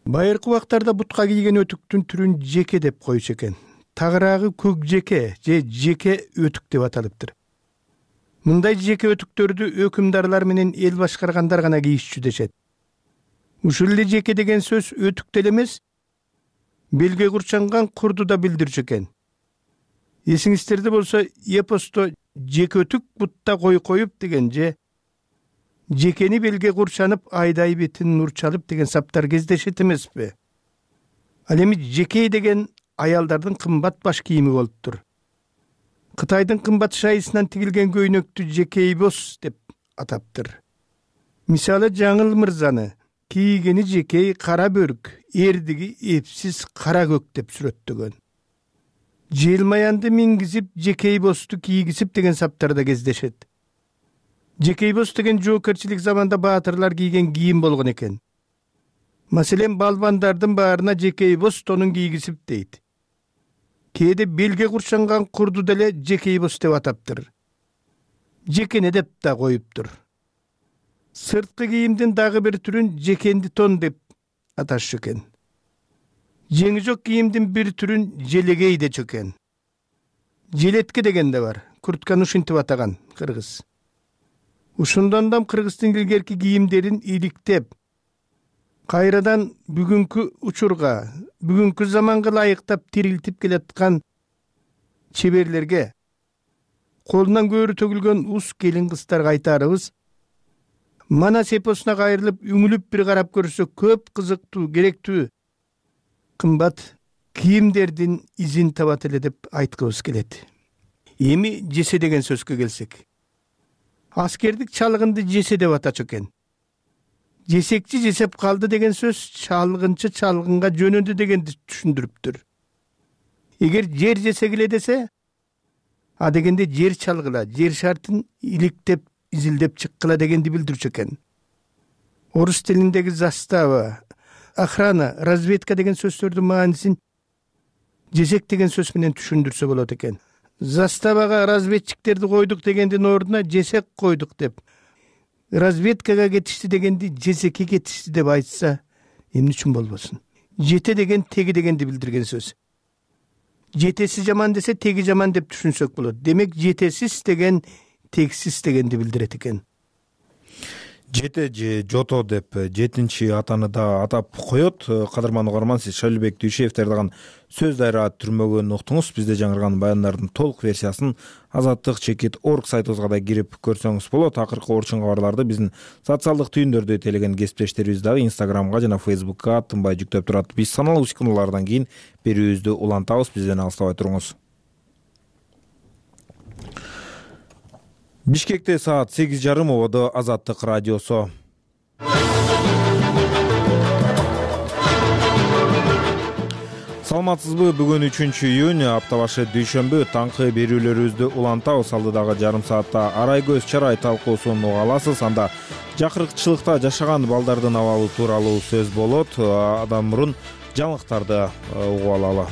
Байыркы убактарда бутка кийген өтүктүн түрүн жеке деп койчу экен. Тагыраагы көк жеке же жеке өтүк деп аталыптыр. Мындай жеке өтүктөрдү өкүмдарлар менен эл башкаргандар гана кийишчү дешет. Ушул эле жеке деген сөз өтүк деле эмес, белге курчанган курду да билдирчү экен. Эсиңиздерде болсо, эпосто жеке өтүк бутта кой коюп деген же жекени белге курчанып айдай бетин нур чалып деген саптар кездешет эмеспи? Ал эми жеке деген аялдардын кымбат баш кийими болуптур. Кытайдын кымбат шайысынан тигилген көйнөктү жекейбос деп атаптыр. Мисалы Жаңыл мырзаны кийгени жекей кара бөрк, эрдиги эпсиз кара көк деп сүрөттөгөн. Желмаянды мингизип жекейбосту кийгизип деген саптарда кездешет. Жекейбос деген жоокерчилик заманда баатырлар кийген кийим болгон экен. Маселен, балбандардын баарына жекейбос тонун кийгизип дейт. Кээде белге курчанган курду деле жекейбос деп атаптыр. Жекене деп да коюптур. Сырткы кийимдин дагы бир түрүн жекенди тон деп аташчу экен. Жеңи жок кийимдин бир түрүн желегей дечү экен. Желетке деген да бар. Куртканы ушинтип атаган кыргыз. Ушундан да кыргыздын илгерки кийимдерин иликтеп, кайрадан бүгүнкү учурга, бүгүнкү заманга ылайыктап тирилтип келаткан чеберлерге, колунан көөрү төгүлгөн ус келин кыздарга айтарыбыз, Манас эпосуна кайрылып, үңүлүп бир карап көрсө көп кызыктуу, керектүү, кымбат кийимдердин изин табат эле деп айткыбыз келет. Эми жесе деген сөзгө келсек. Аскердик чалгынды жесе деп атачу экен. Жесекчи жесеп калды деген сөз чалгынчы чалгынга жөнөдү дегенди түшүндүрүптүр. Эгер жер жесе келе десе, а дегенде жер чалгыла, жер шартын иликтеп, изилдеп чыккыла дегенди билдирчү экен. Орус тилиндеги застава, охрана, разведка деген сөздөрдүн маанисин жесек деген сөз менен түшүндүрсө болот экен. Заставага разведчиктерди койдук дегендин ордуна жесек койдук деп, разведкага кетишти дегенди жесекке кетишти деп айтса эмне үчүн болбосун? Жете деген теги дегенди билдирген сөз. Жетеси жаман десе теги жаман деп түшүнсөк болот. Демек жетесиз деген тегсиз дегенди билдирет экен. Жете же жото деп жетинчи атаны да атап коет. Кадырман угарман, сиз Шалибек Дүйшеев даярдаган сөз дайра түрмөгөн уктуңуз. Бизде жаңырган баяндардын толук версиясын azatlyk.org сайтыбызга да кирип көрсөңүз болот. Акыркы орчун кабарларды биздин социалдык түйүндөрдө телеген кесиптештерибиз дагы Instagramга жана Facebookка тынбай жүктөп турат. Биз саналуу секундалардан кийин берүүбүздү улантабыз. Бизден алыстабай туруңуз. Бишкекте саат 8:30 ободо Азаттык радиосу. Саламатсызбы? Бүгүн 3-июнь, апта башы дүйшөмбү. Таңкы берүүлөрүбүздү улантабыз. Алдыдагы жарым саатта арай көз чарай талкуусун уга аласыз. Анда жакырыкчылыкта жашаган балдардын абалы тууралуу сөз болот. Адам мурун жаңылыктарды угуп алалы.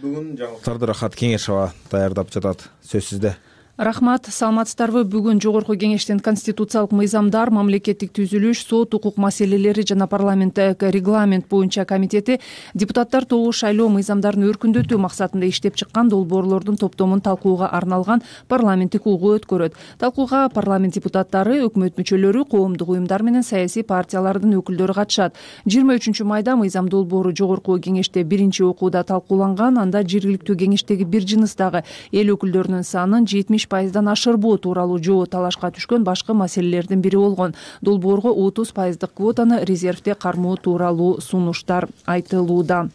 Бүгүн жаңылыктарды Рахат Кеңешова даярдап жатат. Сөз сизде. Рахмат, саламатсыздарбы? Бүгүн Жогорку Кеңештин конституциялык мыйзамдар, мамлекеттик түзүлүш, сот укук маселелери жана парламенттик регламент боюнча комитети депутаттар тобу шайлоо мыйзамдарын өркүндөтүү максатында иштеп чыккан долбоорлордун топтомун талкууга арналган парламенттик угуу өткөрөт. Талкууга парламент депутаттары, өкмөт мүчөлөрү, коомдук уюмдар менен саясий партиялардын өкүлдөрү катышат. 23 майда мыйзам долбоору Жогорку Кеңеште биринчи окууда талкууланган. Анда жергиликтүү кеңештеги бир жыныстагы эл өкүлдөрүнүн санын 70% ашырбоо тууралуу жоо талашка түшкөн башкы маселелердин бири болгон. Долбоорго 30% квотаны резервде кармоо тууралуу сунуштар айтылууда.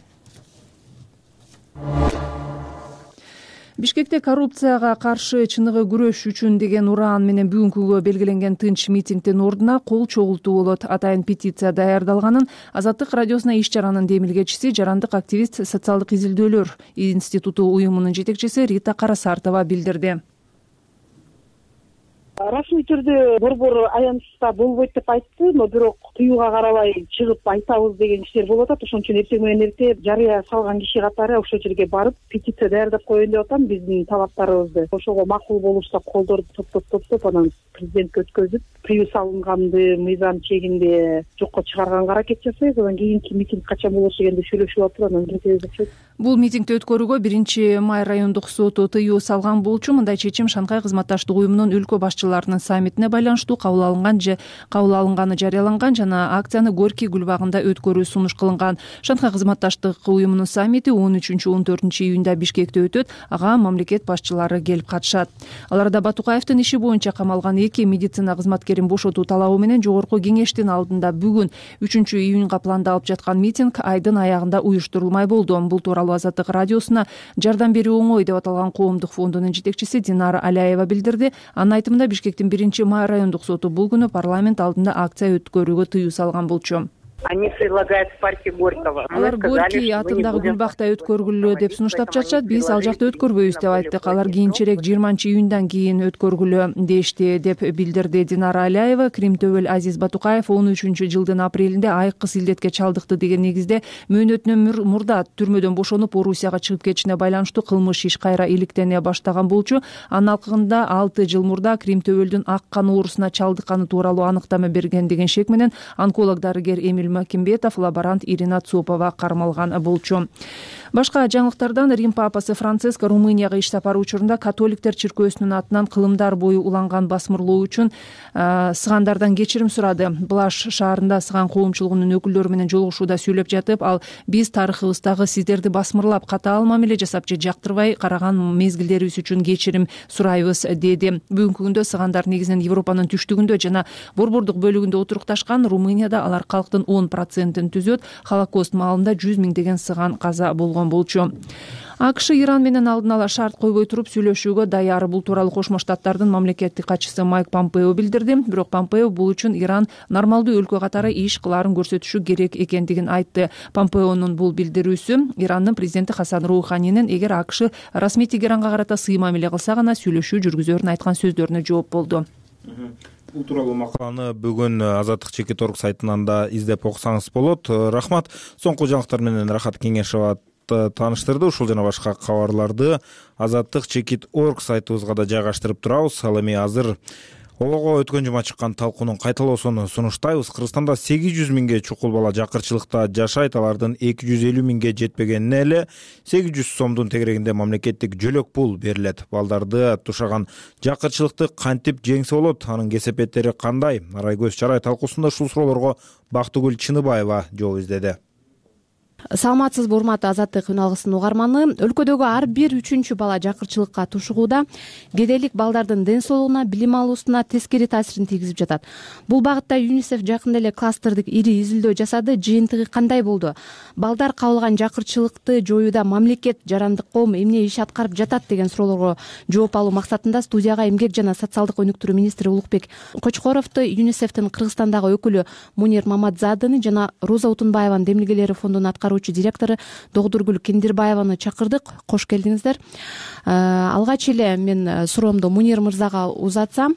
Бишкекте коррупцияга каршы чыныгы күрөш үчүн деген ураан менен бүгүнкүгө белгиленген тынч митингдин ордуна кол чогултуу болот. Атайын петиция даярдалганын Азаттык радиосуна иш чаранын демилгечиси, жарандык активист, социалдык изилдөөлөр институту уюмунун жетекчиси Рита Карасартова билдирди. Расмий түрдө борбор аянтта болбойт деп айтты, но бирок тыюуга карабай чыгып айтабыз деген иштер болуп атат. Ошон үчүн эртең менен эрте жарыя салган киши катары ошол жерге барып петиция даярдап коеюн деп атам, биздин талаптарыбызды. Ошого макул болушса колдорду топтоп анан президентке өткөзүп, приюс алынганды мыйзам чегинде жокко чыгарганга аракет жасайбыз. Анан кийинки митинг качан болушу дегенди сүйлөшүп атып, анан кетебиз окшойт. Бул митингди өткөрүүгө 1-май райондук соту тыюу салган болчу. Мындай чечим Шанхай кызматташтык уюмунун өлкө башчыларынын саммитине байланыштуу кабыл алынганы жарыяланган жана акцияны Горький гүлбагында өткөрүү сунуш кылынган. Шанхай кызматташтык уюмунун саммити 13-14 июнда Бишкекте өтөт. Ага мамлекет башчылары келип катышат. Аларда Батукаевдин иши боюнча камалган 2 медицина кызматкерин бошотуу талабы менен Жогорку Кеңештин алдында бүгүн 3-июнга пландалып жаткан митинг айдын аягында уюштурулмай болду. Бул тууралуу Азаттык радиосуна жардам берүү оңой деп аталган коомдук фондунун жетекчиси Динара Аляева билдирди. Анын айтымында Бишкектин 1-май райондук соту бул күнү парламент алдында акция өткөрүүгө тыюу салган болчу. Они предлагают в парке Горького. Алар Горький атындагы Гүлбакта өткөргүлө деп сунуштап жатышат. Биз ал жакта өткөрбөйбүз деп айттык. Алар кийинчерээк 20-июндан кийин өткөргүлө дешти деп билдирди Динара Аляева. Кримтөбөл Азиз Батукаев 13-жылдын апрелинде айыккыс илдетке чалдыкты деген негизде мөөнөтүнөн мурда түрмөдөн бошонуп Орусияга чыгып кетишине байланыштуу кылмыш иш кайра иликтене баштаган болчу. Анын алкагында 6 жыл мурда Кримтөбөлдүн ак кан оорусуна чалдыкканы тууралуу аныктама берген деген шек менен онколог дарыгер Эмиль Макимбетов, лаборант Ирина Цопова кармалган болчу. Башка жаңылыктардан Рим папасы Франциск Румынияга иш сапары учурунда католиктер чиркөөсүнүн атынан кылымдар бою уланган басмырлоо үчүн сыгандардан кечирим сурады. Блаш шаарында сыган коомчулугунун өкүлдөрү менен жолугушууда сүйлөп жатып, ал биз тарыхыбыздагы сиздерди басмырлап, катаал мамиле жасап же жактырбай караган мезгилдерибиз үчүн кечирим сурайбыз деди. Бүгүнкү күндө сыгандар негизинен Европанын түштүгүндө жана борбордук бөлүгүндө отурукташкан. Румынияда алар калктын 10%-ын түзөт. Холокост маалында 100 миңдеген сыган каза болгон болчу. АКШ Иран менен алдын ала шарт койбой туруп сүйлөшүүгө даяр. Бул тууралуу Кошмо Штаттардын мамлекеттик катчысы Майк Помпео билдирди. Бирок Помпео бул үчүн Иран нормалдуу өлкө катары иш кылаарын көрсөтүшү керек экендигин айтты. Помпеонун бул билдирүүсү Ирандын президенти Хасан Роуханинин эгер АКШ расмий Тегеранга карата сый мамиле кылса гана сүйлөшүү жүргүзөрүн айткан сөздөрүнө жооп болду. Бул тууралуу макаланы бүгүн Азаттык Чекит.org сайтынан да издеп окусаңыз болот. Рахмат. Соңку жаңылыктар менен Рахат Кеңешова тааныштырды. Ушул жана башка кабарларды Азаттык Чекит.org сайтыбызга да жайгаштырып турабыз. Ал эми азыр Ого өткөн жума чыккан талкуунун кайталоосун сунуштайбыз. Кыргызстанда 800 миңге чукул бала жакырчылыкта жашайт. Алардын 250 миңге жетпегенине эле 800 сомдун тегерегинде мамлекеттик жөлөк пул берилет. Балдарды тушаган жакырчылыкты кантип жеңсе болот? Анын кесепеттери кандай? Арайкөз Чарай талкуусунда ушул суроолорго Бактыгүл Чыныбаева жооп издеди. Саламатсызбы, урматтуу Азаттык үн алгысынын угарманы. Өлкөдөгү ар бир 3-чү бала жакырчылыкка тушугууда. Кедейлик балдардын ден соолугуна, билим алуусуна тескери таасирин тийгизип жатат. Бул багытта ЮНИСЕФ жакында эле кластердик ири изилдөө жасады. Жыйынтыгы кандай болду? Балдар кабылган жакырчылыкты жоюуда мамлекет, жарандык коом эмне иш аткарып жатат деген суроолорго жооп алуу максатында студияга эмгек жана социалдык өнүктүрүү министри Улукбек Кочкоровду, ЮНИСЕФтин Кыргызстандагы өкүлү Мунир Мамадзадыны жана Роза Утунбаеванын демилгелери фондунун аткаруучу директору Догдургүл Кендирбаеваны чакырдык. Кош келдиңиздер. Алгач эле мен суроомду Мунир мырзага узатсам,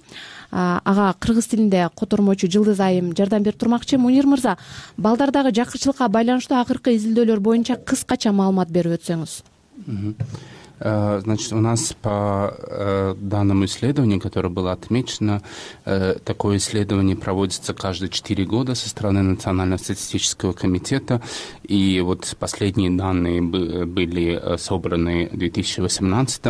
ага кыргыз тилинде котормочу Жылдыз Айым жардам берип турмакчы. Мунир мырза, балдардагы жакырчылыкка байланыштуу акыркы изилдөөлөр боюнча кыскача маалымат берип өтсөңүз. Значит, у нас по данному исследованию, которое было отмечено, такое исследование проводится каждые 4 года со стороны Национального статистического комитета. И вот последние данные были собраны в 2018.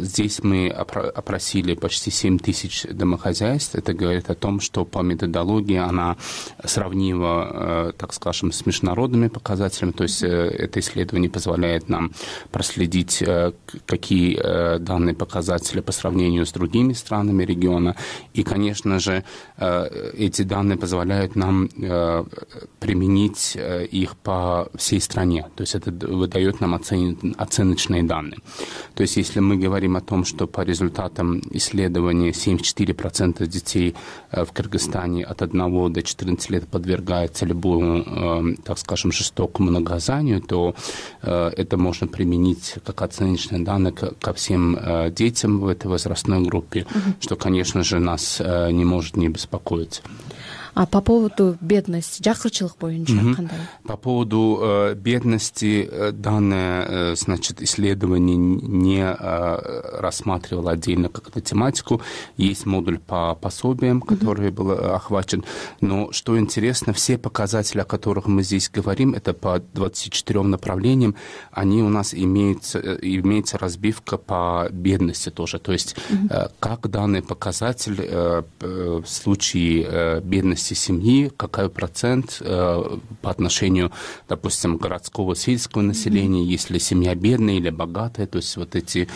Здесь мы опросили почти 7 тысяч домохозяйств. Это говорит о том, что по методологии она сравнива, так скажем, с международными показателями. То есть это исследование позволяет нам проследить, какие данные показатели по сравнению с другими странами региона. И, конечно же, эти данные позволяют нам применить их по всей стране. То есть это выдает нам оценочные данные. То есть если мы говорим о том, что по результатам исследования 74% детей в Кыргызстане от 1 до 14 лет подвергаются любому, так скажем, жестокому наказанию, то это можно применить как оценочные данные ко всем детям в этой возрастной группе, что, конечно же, нас не может не беспокоить. А по поводу бедности, жакырчылык боюнча кандай? По поводу бедности данное, значит, исследование не рассматривало отдельно как-то тематику. Есть модуль по пособиям, который был охвачен. Но что интересно, все показатели, о которых мы здесь говорим, это по 24 направлениям, они у нас имеется разбивка по бедности тоже. То есть как данный показатель в случае бедности семьи, какой процент по отношению, допустим, городского, сельского населения, если семья бедная или богатая, то есть вот эти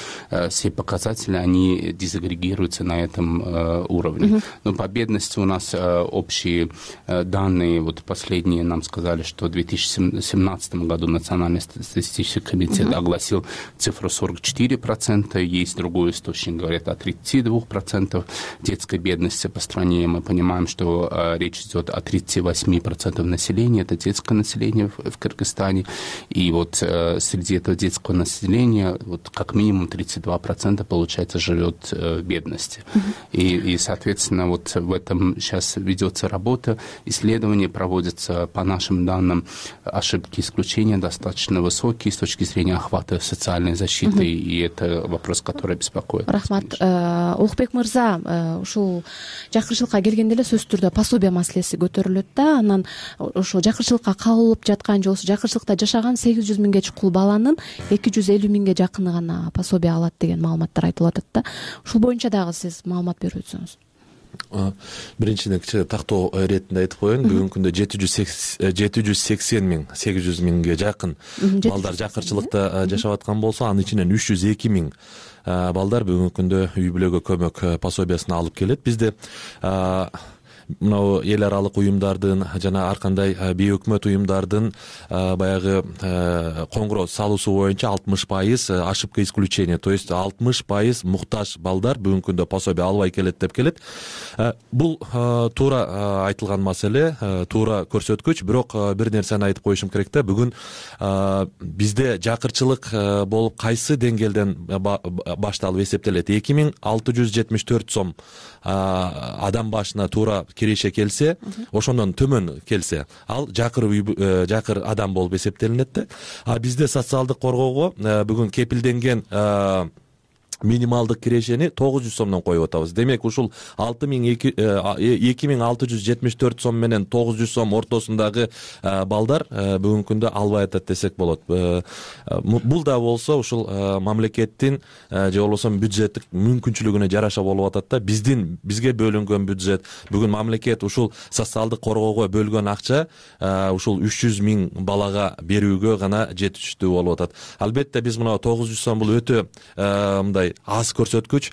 все показатели, они дезагрегируются на этом уровне. Но по бедности у нас общие данные, вот последние нам сказали, что в 2017 году Национальный статистический комитет огласил цифру 44%, есть другой источник, говорят о 32% детской бедности по стране. Мы понимаем, что речь идет о 38% населения, это детское население в Кыргызстане. И вот среди этого детского населения вот как минимум 32% получается живет в бедности. И, соответственно, вот в этом сейчас ведется работа, исследования проводятся, по нашим данным, ошибки исключения достаточно высокие с точки зрения охвата социальной защиты, и это вопрос, который беспокоит. Рахмат. Улукбек мырза, ушул жакырчылыкка келгенде эле сөзсүз түрдө пособие маселеси көтөрүлөт да, анан ошол жакырчылыкка кабылып жаткан же болбосо жакырчылыкта жашаган 800 миңге чукул баланын 250 миңге жакыны гана пособие алат деген маалыматтар айтылып атат да. Ушул боюнча дагы сиз маалымат берип өтсөңүз. Биринчиден кичине тактоо иретинде айтып коеюн. Бүгүнкү күндө 780 миң, 800 миңге жакын балдар жакырчылыкта жашап аткан болсо, анын ичинен 302 миң балдар бүгүнкү күндө үй бүлөгө көмөк пособиясын алып келет. Бизде мынау эл аралык уюмдардын жана ар кандай бейөкмөт уюмдардын баягы коңгуроо салуусу боюнча 60% ошибка исключения, то есть 60% муктаж балдар бүгүнкү күндө пособие албай келет деп келет. Бул туура айтылган маселе, туура көрсөткүч. Бирок бир нерсени айтып коюшум керек да, бүгүн бизде жакырчылык болуп кайсы деңгээлден башталып эсептелет? 2674 сом адам башына туура киреше келсе, ошондон төмөн келсе, ал жакыр адам болуп эсептелинет да. А бизде социалдык коргоого бүгүн кепилденген минималдык кирешени 900 сомдон коюп атабыз. Демек ушул 2674 сом менен 900 сом ортосундагы балдар бүгүнкү күндө албай атат десек болот. Бул да болсо ушул мамлекеттин же болбосо бюджеттик мүмкүнчүлүгүнө жараша болуп атат да. Бизге бөлүнгөн бюджет, бүгүн мамлекет ушул социалдык коргоого бөлгөн акча ушул 300 миң балага берүүгө гана жетиштүү болуп атат. Албетте биз мына 900 сом бул өтө мындай аз көрсөткүч.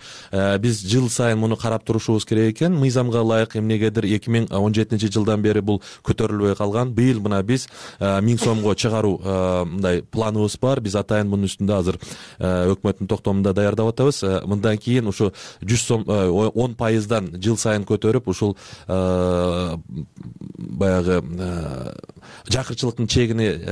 Биз жыл сайын муну карап турушубуз керек экен. Мыйзамга ылайык эмнегедир 2017 жылдан бери бул көтөрүлбөй калган. Быйыл мына биз 1000 сомго чыгаруу мындай планыбыз бар. Биз атайын мунун үстүндө азыр өкмөттүн токтомунда даярдап атабыз. Мындан кийин ушу 100 сом 10%дан жыл сайын көтөрүп ушул баягы жакырчылыктын чегини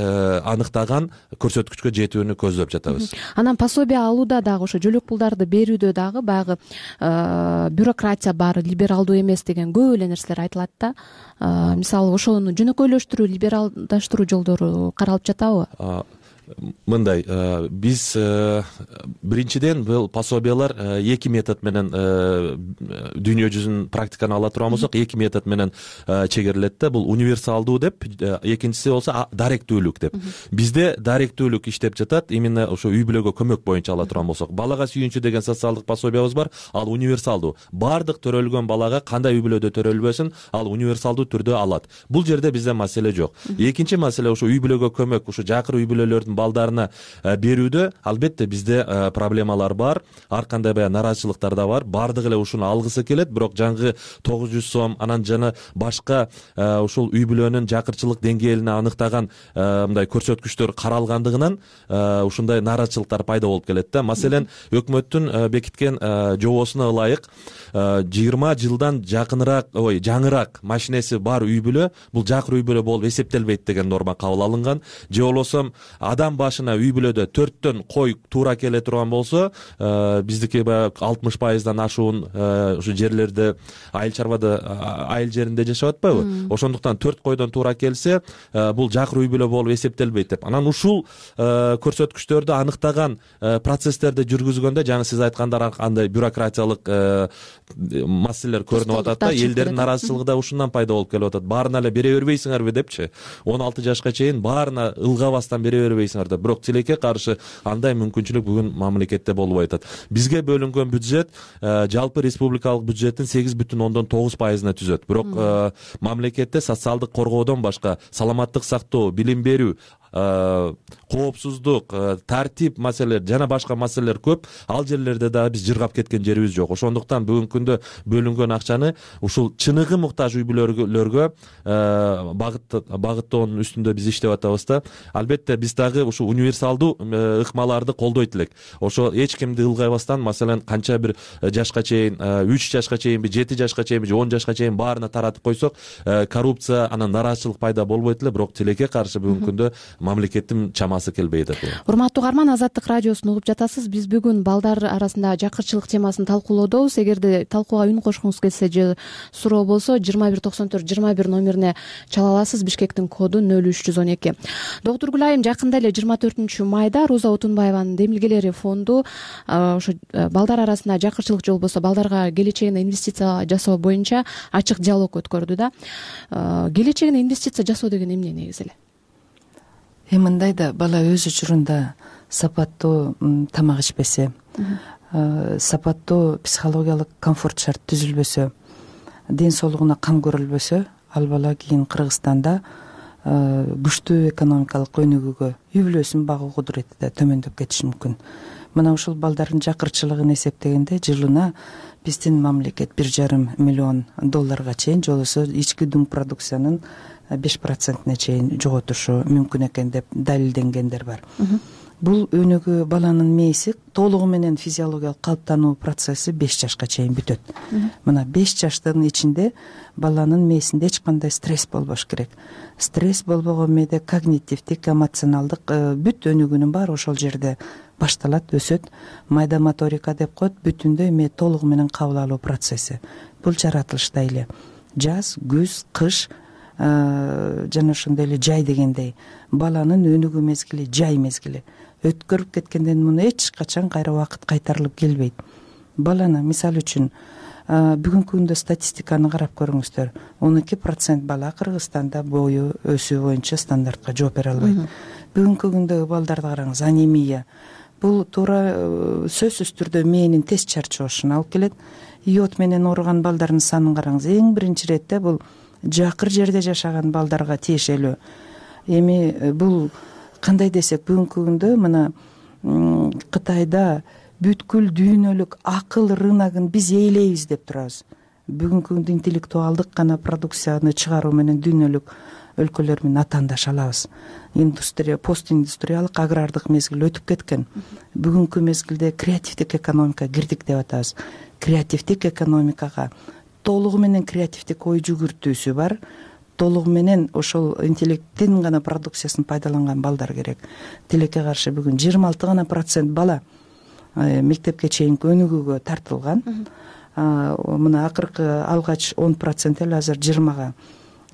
аныктаган көрсөткүчкө жетүүнү көздөп жатабыз. Анан пособие алууда дагы ошо жөлөк пулдарды берүүдө дагы баягы бюрократия бар, либералдуу эмес деген көп эле нерселер айтылат да. Мисалы ошону жөнөкөйлөштүрүү, либералдаштыруу жолдору каралып жатабы? Мындай, биз биринчиден бул пособиялар 2 метод менен дүйнө жүзүнүн практиканы ала турган болсок, 2 метод менен чегерилет да. Бул универсалдуу деп, экинчиси болсо даректүүлүк деп. Бизде даректүүлүк иштеп жатат. Именно ошо үй бүлөгө көмөк боюнча ала турган болсок, балага сүйүнчү деген социалдык пособиябыз бар. Ал универсалдуу. Бардык төрөлгөн балага кандай үй бүлөдө төрөлбөсүн, ал универсалдуу түрдө алат. Бул жерде бизде маселе жок. Экинчи маселе ошо үй бүлөгө көмөк, ошо жакыр үй бүлөлөрдүн балдарына берүүдө албетте бизде проблемалар бар, ар кандай баягы нараазычылыктар да бар. Бардык эле ушуну алгысы келет, бирок жаңгы 900 сом анан жана башка ушул үй бүлөнүн жакырчылык деңгээлин аныктаган мындай көрсөткүчтөр каралгандыгынан ушундай нараазычылыктар пайда болуп келет да. Маселен, өкмөттүн бекиткен жобосуна ылайык 20 жылдан жаңыраак машинеси бар үй бүлө бул жакыр үй бүлө болуп эсептелбейт деген норма кабыл алынган. Же болбосо адам башына үй бүлөдө 4төн кой туура келе турган болсо, биздики баягы 60%дан ашуун ушу жерлерде айыл чарбада айыл жеринде жашап атпайбы? Ошондуктан 4 койдон туура келсе, бул жакыр үй бүлө болуп эсептелбейт деп. Анан ушул көрсөткүчтөрдү аныктаган процесстерди жүргүзгөндө жаңы сиз айткандар андай бюрократиялык маселелер көрүнүп атат да. Элдердин нараазычылыгы да ушундан пайда болуп келип атат. Баарына эле бере бербейсиңерби депчи. 16 жашка чейин баарына ылгабастан бере бербейсиңер деп. Бирок тилекке каршы андай мүмкүнчүлүк бүгүн мамлекетте болбой атат. Бизге бөлүнгөн бюджет жалпы республикалык бюджеттин 8,9%-ына түзөт. Бирок мамлекетте социалдык коргоодон башка саламаттык сактоо, билим берүү, коопсуздук, тартип маселелер жана башка маселелер көп. Ал жерлерде дагы биз жыргап кеткен жерибиз жок. Ошондуктан бүгүнкү күндө бөлүнгөн акчаны ушул чыныгы муктаж үй бүлөлөргө багыттоонун үстүндө биз иштеп атабыз да. Албетте биз дагы ушу универсалдуу ыкмаларды колдойт элек. Ошо эч кимди ылгайбастан, маселен, канча бир жашка чейин, 3 жашка чейинби, 7 жашка чейинби, 10 жашка чейин баарына таратып койсок, коррупция, анан нараазычылык пайда болбойт эле. Бирок тилекке каршы бүгүнкү күндө мамлекеттин чамасы келбей атат. Урматтуу угарман, Азаттык радиосун угуп жатасыз. Биз бүгүн балдар арасында жакырчылык темасын талкуулоодобуз. Эгерде талкууга үн кошкуңуз келсе же суроо болсо 2194-21 номерине чала аласыз. Бишкектин коду 0312. Доктур Гүлайым, жакында эле 24 майда Роза Отунбаеванын Демилгелери фонду ошо балдар арасында жакырчылык же болбосо балдарга келечегине инвестиция жасоо боюнча ачык диалог өткөрдү да. Келечегине инвестиция жасоо деген эмне негизи эле? Мындай да, бала өз учурунда сапаттуу тамак ичпесе, сапаттуу психологиялык комфорт шарт түзүлбөсө, ден соолугуна кам көрүлбөсө, ал бала кийин Кыргызстанда күчтүү экономикалык өнүгүүгө, үй бүлөсүн багуу кудурети да төмөндөп кетиши мүмкүн. мына ушул балдардын жакырчылыгын эсептегенде жылына биздин мамлекет $1,5 миллион чейин же болбосо ички дум продукциянын 5% чейин жоготушу мүмкүн экен деп далилденгендер бар. Бул өнүгүү баланын мээси толугу менен физиологиялык калыптануу процесси 5 жашка чейин бүтөт. Мына 5 жаштын ичинде баланын мээсинде эч кандай стресс болбош керек. Стресс болбогон мээде когнитивдик, эмоционалдык бүт өнүгүүнүн баары ошол жерде башталат, өсөт. Майда моторика деп коет, бүтүндөй мээ толугу менен кабыл алуу процесси. Бул жаратылышта эле жаз, күз, кыш жана ошондой эле жай дегендей баланын өнүгүү мезгили жай мезгили. Өткөрүп кеткенден муну эч качан кайра убакыт кайтарылып келбейт. Баланы мисалы үчүн бүгүнкү күндө статистиканы карап көрүңүздөр. 12% бала Кыргызстанда бою өсүү боюнча стандартка жооп бере албайт. Бүгүнкү күндөгү балдарды караңыз, анемия. Бул туура сөзсүз түрдө мээнин тез чарчоошуна алып келет. Йод менен ооруган балдардын санын караңыз. Эң биринчи иретте бул жакыр жерде жашаган балдарга тиешелүү. Эми бул кандай десек, бүгүнкү күндө мына Кытайда бүткүл дүйнөлүк акыл рыногун биз ээлейбиз деп турабыз. Бүгүнкү күндө интеллектуалдык гана продукцияны чыгаруу менен дүйнөлүк өлкөлөр менен атаандаша алабыз. Постиндустриалык агрардык мезгил өтүп кеткен. Бүгүнкү мезгилде креативдик экономика кирдик деп атабыз. Креативдик экономикага толугу менен креативдик ой жүгүртүүсү бар. Толугу менен ошол интеллекттин гана продукциясын пайдаланган балдар керек. Тилекке каршы бүгүн 26% бала мектепке чейинки өнүгүүгө тартылган. Мына акыркы алгач 10% эле азыр 20-га.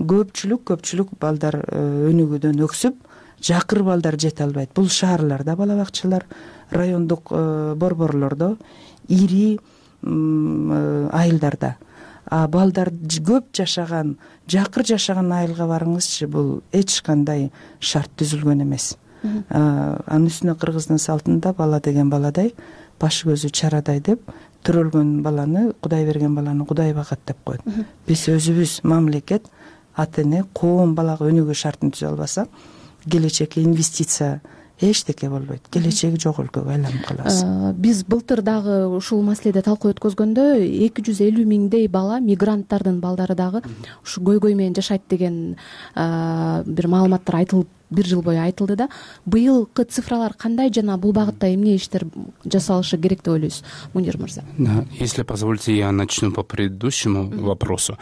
Көпчүлүк балдар өнүгүүдөн өксүп, жакыр балдар жете албайт. Бул шаарларда бала бакчалар, райондук борборлордо, ири айылдарда. Балдар көп жашаган, жакыр жашаган айылга барыңызчы, бул эч кандай шарт түзүлгөн эмес. Анын үстүнө кыргыздын салтында бала деген баладай, башы көзү чарадай деп, төрөлгөн баланы, Кудай берген баланы Кудай багат деп коет. Биз өзүбүз мамлекет, ата эне, коом балага өнүгүү шартын түзө албаса, келечекке инвестиция эчтеке болбойт. Келечеги жок өлкөгө айланып калабыз. Биз былтыр дагы ушул маселеде талкуу өткөзгөндө 250 миңдей бала, мигранттардын балдары дагы ушу көйгөй менен жашайт деген бир маалыматтар айтылып, бир жыл бою айтылды да. Быйылкы цифралар кандай жана бул багытта эмне иштер жасалышы керек деп ойлойсуз, Мунир мырза? Если позволите, я начну по предыдущему вопросу.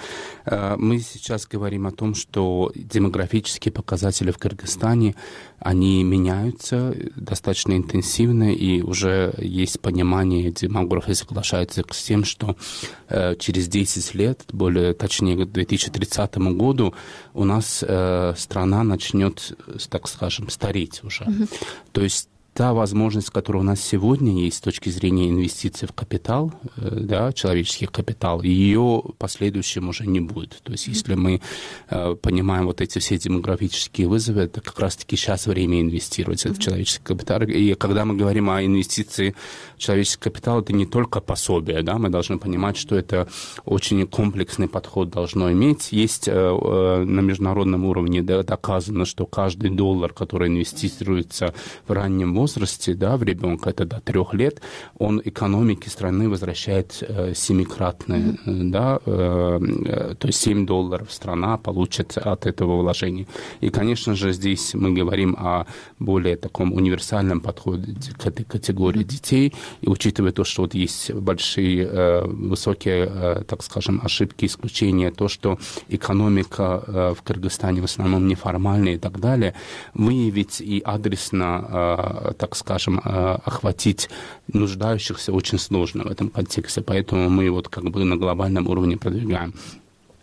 Мы сейчас говорим о том, что демографические показатели в Кыргызстане, они меняются достаточно интенсивно, и уже есть понимание, демографы соглашаются с тем, что через 10 лет, более точнее к 2030 году, у нас страна начнет, так скажем, стареть уже. То есть та возможность, которая у нас сегодня есть с точки зрения инвестиций в капитал, да, человеческий капитал, ее в последующем уже не будет. То есть если мы понимаем вот эти все демографические вызовы, это как раз-таки сейчас время инвестировать в этот человеческий капитал. И когда мы говорим о инвестиции в человеческий капитал, это не только пособие, да, мы должны понимать, что это очень комплексный подход должно иметь. Есть на международном уровне доказано, что каждый доллар, который инвестируется в раннем возрасте, да, в ребенка, это до 3 лет, он экономике страны возвращает 7-кратное, да, то есть $7 страна получит от этого вложения. И, конечно же, здесь мы говорим о более таком универсальном подходе к этой категории детей, и учитывая то, что вот есть большие, высокие, так скажем, ошибки, исключения, то, что экономика в Кыргызстане в основном неформальная и так далее, выявить и адресно, так скажем, охватить нуждающихся очень сложно в этом контексте. Поэтому мы вот как бы на глобальном уровне продвигаем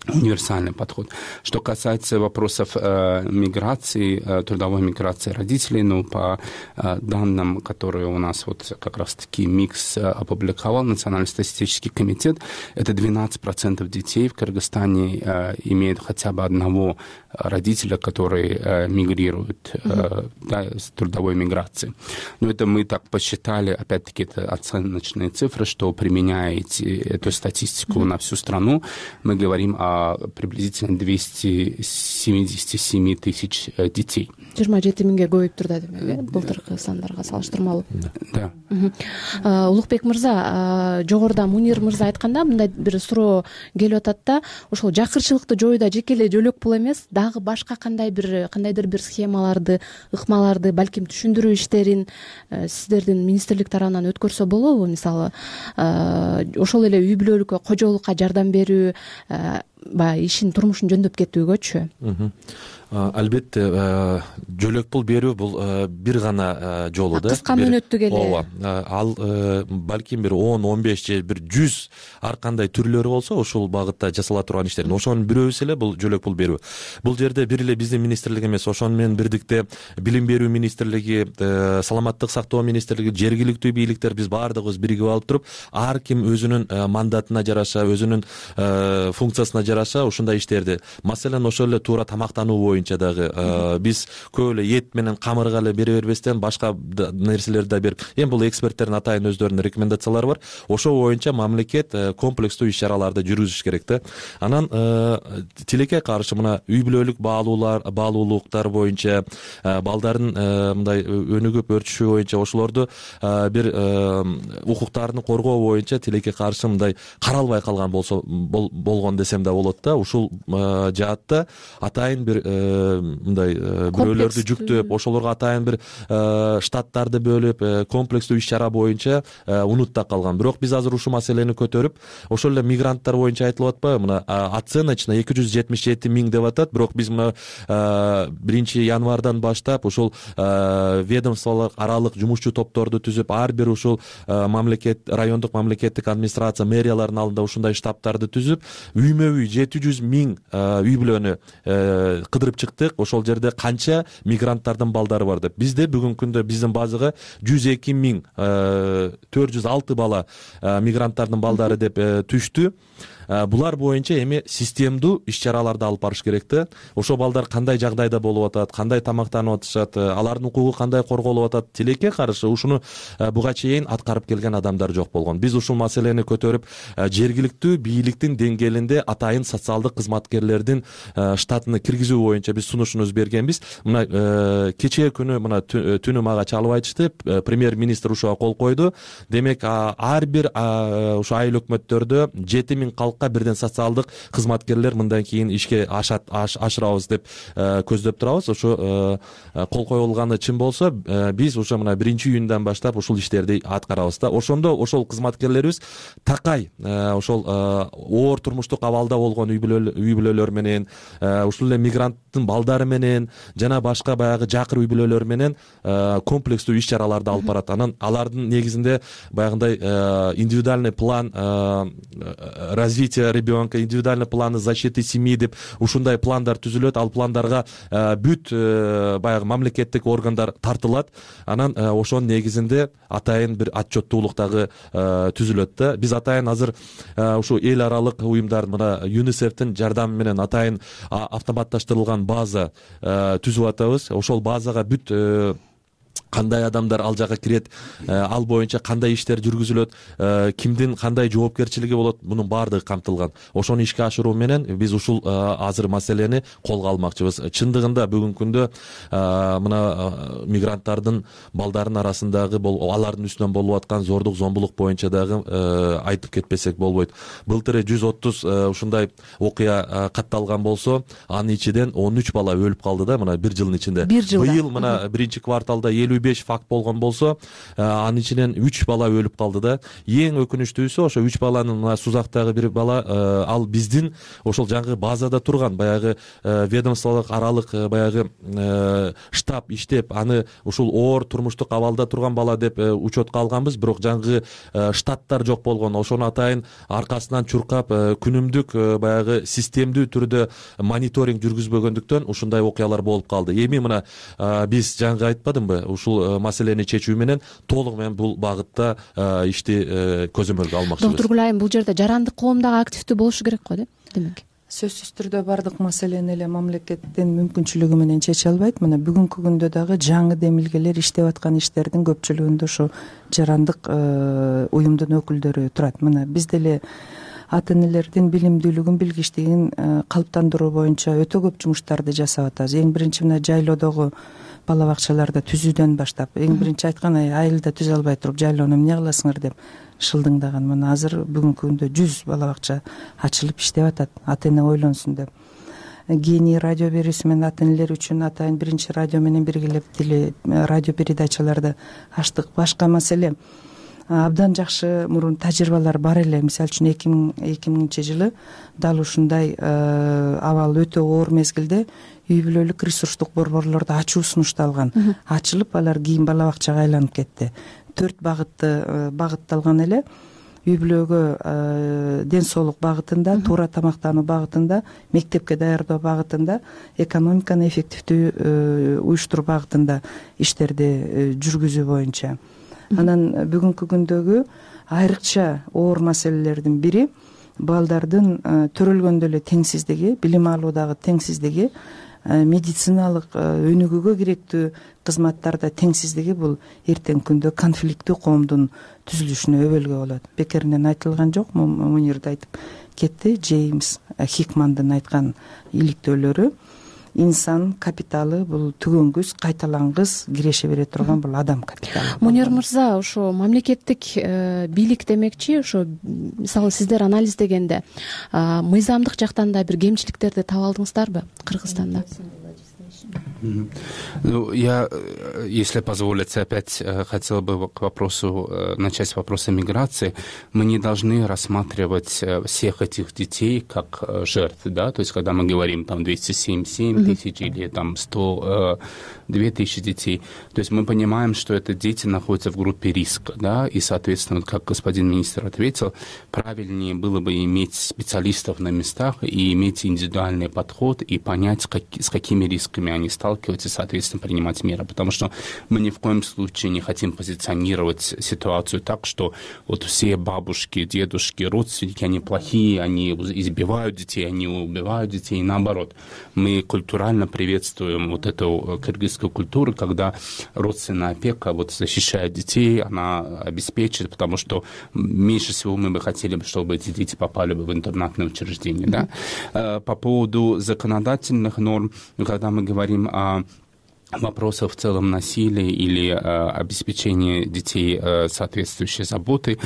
универсальный подход. Что касается вопросов миграции, трудовой миграции родителей, ну, по данным, которые у нас вот как раз-таки МИКС опубликовал, Национальный статистический комитет, это 12% детей в Кыргызстане имеют хотя бы одного родителя, который мигрирует, да, с трудовой миграции. Но это мы так посчитали, опять-таки, это оценочные цифры, что применяя эту статистику на всю страну, мы говорим о приблизительно 277 тысяч детей. 27 миңге көбөйүптүр да демек, былтыркы сандарга салыштырмалуу. Да. Улукбек мырза, жогоруда Мунир мырза айтканда мындай бир суроо келип атат да, ошол жакырчылыкты жоюуда жеке эле жөлөк пул эмес, дагы башка кандайдыр бир схемаларды, ыкмаларды, балким түшүндүрүү иштерин сиздердин министрлик тарабынан өткөрсө болобу? Мисалы, ошол эле үй бүлөлүккө, кожолукка жардам берүү, баягы ишин, турмушун жөндөп кетүүгөчү. Албетте, жөлөк пул берүү бул бир гана жолу да. Кыска мөөнөттүк эле. Ооба. Ал балким бир 10-15 же бир 100 ар кандай түрлөрү болсо, ошол багытта жасала турган иштердин ошонун бирөөсү эле бул жөлөк пул берүү. Бул жерде бир эле биздин министрлик эмес, ошону менен бирдикте билим берүү министрлиги, саламаттык сактоо министрлиги, жергиликтүү бийликтер, биз баардыгыбыз биригип алып туруп, ар ким өзүнүн мандатына жараша, өзүнүн функциясына жараша ушундай иштерди. Маселен, ошол эле туура тамактануу боюнча дагы биз көп эле эт менен камырга эле бере бербестен башка нерселерди да берип, эми бул эксперттердин атайын өздөрүнүн рекомендациялары бар. Ошол боюнча мамлекет комплекстүү иш-чараларды жүргүзүш керек да. Анан тилекке каршы мына үй бүлөлүк баалуулуктар боюнча, балдардын мындай өнүгүп өрчүшү боюнча, ошолорду бир укуктарын коргоо боюнча тилекке каршы мындай каралбай калган болсо болгон десем да болот да. Ушул жаатта атайын бир мындай бирөөлөрдү жүктөп, ошолорго атайын бир штаттарды бөлүп, комплекстүү иш-чара боюнча унутта калган. Бирок биз азыр ушул маселени көтөрүп, ошол эле мигранттар боюнча айтылып атпайбы? Мына оценочно 277 миң деп атат, бирок биз мына 1 январдан баштап ушул ведомстволук аралык жумушчу топторду түзүп, ар бир ушул райондук мамлекеттик администрация, мэриялардын алдында ушундай штабтарды түзүп, үймө-үй 700 миң үй бүлөнү кыдырып чыктык. Ошол жерде канча мигранттардын балдары бар деп. Бизде бүгүнкү күндө биздин базага 102 миң 406 бала мигранттардын балдары деп түштү. Булар боюнча эми системдүү иш-чараларды алып барыш керек да. Ошол балдар кандай жагдайда болуп атат, кандай тамактанып атышат, алардын укугу кандай корголуп атат, тилекке каршы ушуну буга чейин аткарып келген адамдар жок болгон. Биз ушул маселени көтөрүп, жергиликтүү бийликтин деңгээлинде атайын социалдык кызматкерлердин штатына киргизүү боюнча биз сунушубузду бергенбиз. Мына кечээ күнү мына түнү мага чалып айтышты, премьер-министр ушуга кол койду. Демек, ар бир ушу айыл өкмөттөрдө 7 миң бирден социалдык кызматкерлер мындан кийин ишке ашырабыз деп көздөп турабыз. Ошо кол коюлганы чын болсо, биз ошо мына 1-июндан баштап ушул иштерди аткарабыз да. Ошондо ошол кызматкерлерибиз такай ошол оор турмуштук абалда болгон үй бүлөлөр менен, ушул эле мигранттын балдары менен жана башка баягы жакыр үй бүлөлөр менен комплекстүү иш-чараларды алып барат. Анан алардын негизинде баягындай индивидуальный план развития ребенка, индивидуальный планы защиты семьи деп ушундай пландар түзүлөт. Ал пландарга бүт баягы мамлекеттик органдар тартылат. Анан ошонун негизинде атайын бир отчеттуулук дагы түзүлөт да. Биз атайын азыр ушу эл аралык уюмдар, мына ЮНИСЕФтин жардамы менен атайын автоматташтырылган база түзүп атабыз. Ошол базага бүт кандай адамдар ал жака кирет, ал боюнча кандай иштер жүргүзүлөт, кимдин кандай жоопкерчилиги болот, мунун баардыгы камтылган. Ошону ишке ашыруу менен биз ушул азыр маселени колго алмакчыбыз. Чындыгында бүгүнкү күндө мына мигранттардын балдарынын арасындагы алардын үстүнөн болуп аткан зордук, зомбулук боюнча дагы айтып кетпесек болбойт. Былтыр 130 ушундай окуя катталган болсо, анын ичинен 13 бала өлүп калды да, мына бир жылдын ичинде. Быйыл мына 1-кварталда 55 факт болгон болсо, анын ичинен 3 бала өлүп калды да. Эң өкүнүчтүүсү ошо 3 баланын мына Сузактагы бир бала, ал биздин ошол жаңы базада турган баягы ведомстволук аралык баягы штаб иштеп, аны ушул оор турмуштук абалда турган бала деп учетко алганбыз, бирок жаңы штаттар жок болгон. Ошону атайын аркасынан чуркап, күнүмдүк баягы системдүү түрдө мониторинг жүргүзбөгөндүктөн ушундай окуялар болуп калды. Эми мына биз жаңы айтпадымбы, ушул маселени чечүү менен толук менен бул багытта ишти көзөмөлгө алмакчыбыз. Доктор Гүлайым, бул жерде жарандык коом дагы активдүү болушу керек го деп, демек. Сөзсүз түрдө бардык маселени эле мамлекеттин мүмкүнчүлүгү менен чече албайт. Мына бүгүнкү күндө дагы жаңы демилгелер иштеп аткан иштердин көпчүлүгүндө ушу жарандык уюмдун өкүлдөрү турат. Мына биз деле ата энелердин билимдүүлүгүн билгичтигин калыптандыруу боюнча өтө көп жумуштарды жасап атабыз. Эң биринчи мына жайлоодогу бала бакчаларды түзүүдөн баштап, эң биринчи айткан айылда түзө албай туруп жайлоону эмне кыласыңар деп шылдыңдаган. Мына азыр бүгүнкү күндө 100 бала бакча ачылып иштеп атат, ата эне ойлонсун деп. Гений радио берүүсү менен ата энелер үчүн атайын биринчи радио менен биргелеп радио передачаларды ачтык. Башка маселе абдан жакшы мурун тажрыйбалар бар эле. Мисалы үчүн 2000 жылы дал ушундай абал өтө оор мезгилде үй бүлөлүк ресурстук борборлорду ачуу сунушталган. Ачылып алар кийин бала бакчага айланып кетти. 4 багытталган эле. Үй бүлөгө ден соолук багытында, туура тамактануу багытында, мектепке даярдоо багытында, экономиканы эффективдүү уюштуруу багытында иштерди жүргүзүү боюнча. Анан бүгүнкү күндөгү айрыкча оор маселелердин бири балдардын төрөлгөндө эле теңсиздиги, билим алуудагы теңсиздиги, медициналык өнүгүүгө керектүү кызматтарда теңсиздиги. Бул эртеңки күндө конфликттүү коомдун түзүлүшүнө өбөлгө болот. Бекеринен айтылган жок, Мунир да айтып кетти. Джеймс Хикмандын айткан иликтөөлөрү: инсан капиталы бул түгөнгүс, кайталангыс киреше бере турган бул адам капиталы. Мунир мырза, ошо мамлекеттик бийлик демекчи, ошо мисалы сиздер анализдегенде мыйзамдык жактан да бир кемчиликтерди таба алдыңыздарбы Кыргызстанда? Ну, я, если позволите, опять хотел бы начать с вопроса миграции. Мы не должны рассматривать всех этих детей как жертв, да, то есть когда мы говорим там 277 тысяч или там 102 тысячи детей, то есть мы понимаем, что это дети находятся в группе риска, да, и, соответственно, как господин министр ответил, правильнее было бы иметь специалистов на местах и иметь индивидуальный подход и понять, с какими рисками они сталкиваются, и, соответственно, принимать меры. Потому что мы ни в коем случае не хотим позиционировать ситуацию так, что вот все бабушки, дедушки, родственники, они плохие, они избивают детей, они убивают детей, и наоборот. Мы культурально приветствуем вот эту кыргызскую культуру, когда родственная опека вот защищает детей, она обеспечит, потому что меньше всего мы бы хотели, чтобы эти дети попали бы в интернатное учреждение. Да? По поводу законодательных норм, когда мы говорим о вопросов в целом насилия или обеспечения детей соответствующей заботой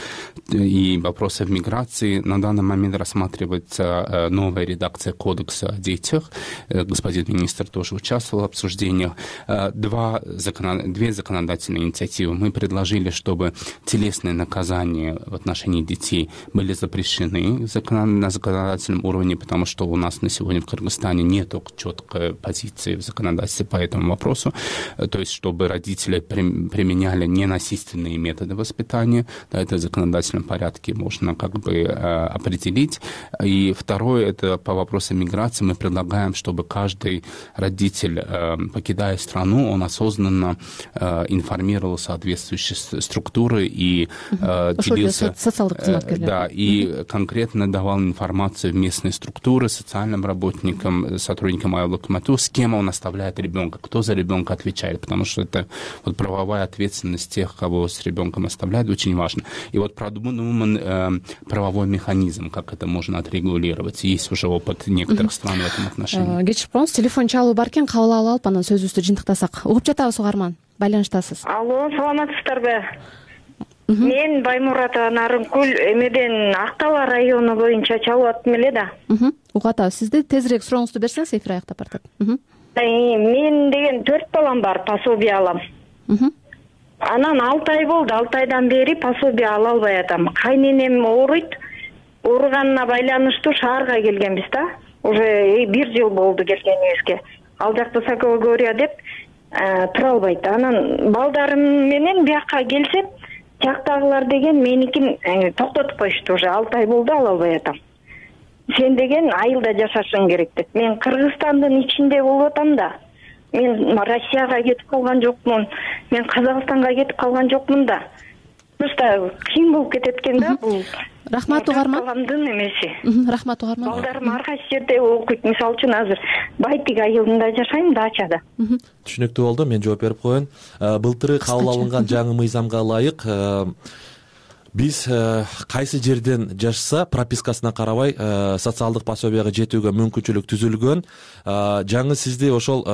и вопросов миграции, на данный момент рассматривается новая редакция Кодекса о детях. Господин министр тоже участвовал в обсуждениях. Две законодательные инициативы. Мы предложили, чтобы телесные наказания в отношении детей были запрещены на законодательном уровне, потому что у нас на сегодня в Кыргызстане нет четкой позиции в законодательстве по этому вопросу. То есть, чтобы родители применяли ненасильственные методы воспитания, да, это в законодательном порядке можно как бы определить. И второе, это по вопросу миграции, мы предлагаем, чтобы каждый родитель, покидая страну, он осознанно информировал соответствующие структуры и делился, да, и конкретно давал информацию в местные структуры, социальным работникам, сотрудникам айлыкмату, с кем он оставляет ребенка, кто за ребенка отвечает, потому что это вот правовая ответственность тех, кого с ребенком оставляют, очень важно. И вот продуман правовой механизм, как это можно отрегулировать. Есть уже опыт некоторых стран в этом отношении. Кечирип коюңуз, телефон чалуу бар экен, кабыл алып анан сөзүбүздү жыйынтыктасак. Угуп жатабыз, угарман. Байланыштасыз. Алло, саламатсыздарбы? Мен Баймурата Нарынкүл эмеден Актала району боюнча чалып аттым эле да. Угуп атабыз. Сизди тезирээк сурооңузду берсеңиз, эфир аяктап баратат. Мен деген 4 балам бар, пособие алам. Анан 6 ай болду, 6 айдан бери пособие ала албай атам. Кайненем ооруйт. Ооруганына байланыштуу шаарга келгенбиз да. Уже 1 жыл болду келгенибизге. Ал жакта Сокологория деп тура албайт. Анан балдарым менен бияка келсем, жактагылар деген меникин токтотуп коюшту. Уже 6 ай болду ала албай атам. Сен деген айылда жашашың керек деп. Мен Кыргызстандын ичинде болуп атам да. Мен Россияга кетип калган жокмун. Мен Казакстанга кетип калган жокмун да. Просто кыйын болуп кетет экен да бул. Рахмат угарман. Баламдын эмеси. Рахмат угарман. Балдарым ар кайсы жерде окуйт. Мисалы үчүн азыр Байтик айылында жашайм, дачада. Түшүнүктүү болду. Мен жооп берип коеюн. Былтыры кабыл алынган жаңы мыйзамга ылайык биз кайсы жерден жашаса пропискасына карабай социалдык пособияга жетүүгө мүмкүнчүлүк түзүлгөн. Жаңы сизди ошол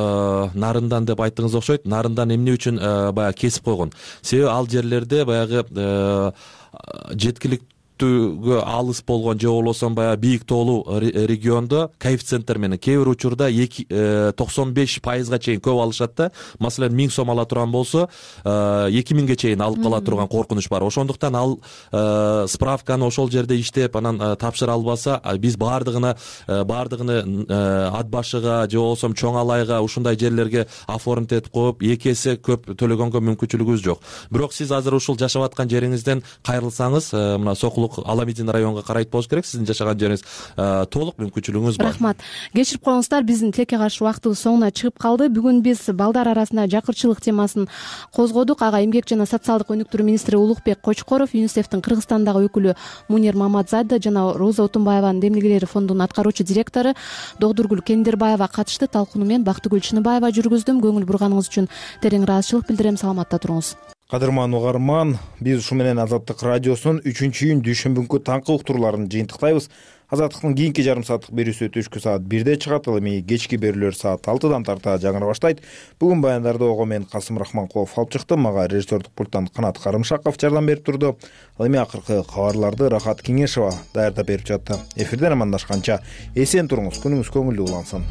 нарындан деп айттыңыз окшойт. Нарындан эмне үчүн баягы кесип койгон? Себеби ал жерлерде баягы жеткиликтүүгө алыс болгон же болбосо баягы бийик тоолуу региондо коэффициенттер менен кээ бир учурда 95%га чейин көп алышат да. Маселен 1000 сом ала турган болсо 2000ге чейин алып кала турган коркунуч бар. Ошондуктан ал справканы ошол жерде иштеп анан тапшыра албаса, биз баардыгыны ат башыга же болбосо чоң алайга ушундай жерлерге оформить этип коюп 2 эсе көп төлөгөнгө мүмкүнчүлүгүбүз жок. Бирок сиз азыр ушул жашап аткан жериңизден кайрылсаңыз, мына Сокулук Аламидин районуга карайт болуш керек. Сиздин жашаган жериңиз толук мүмкүнчүлүгүңүз бар. Рахмат. Кечирип коюңуздар, биздин тилекке каршы убактыбыз соңуна чыгып калды. Бүгүн биз балдар арасында жакырчылык темасын козгодук. Ага эмгек жана социалдык өнүктүрүү министри Улукбек Кочкоров, ЮНИСЕФтин Кыргызстандагы өкүлү Мунир Маматзада жана Роза Отунбаеванын демилгелери фондунун аткаруучу директору Догдургүл Кендирбаева катышты. Талкууну мен Бактыгүл Чыныбаева жүргүздүм. Көңүл бурганыңыз үчүн терең ыраазычылык билдирем. Саламатта туруңуз. Кадырман угарман, биз ушу менен Азаттык радиосунун 3-июнь дүйшөмбүнкү таңкы уктурууларын жыйынтыктайбыз. Азаттыктын кийинки жарым сааттык берүүсү түшкү саат 1де чыгат, ал эми кечки берүүлөр саат 6дан тарта жаңыра баштайт. Бүгүн баяндарды ого мен Касым Рахманкулов алып чыктым. Мага режиссердик пульттан Канат Карымшаков жардам берип турду. Ал эми акыркы кабарларды Рахат Кеңешова даярдап берип жатты. Эфирден амандашканча эсен туруңуз, күнүңүз көңүлдүү улансын.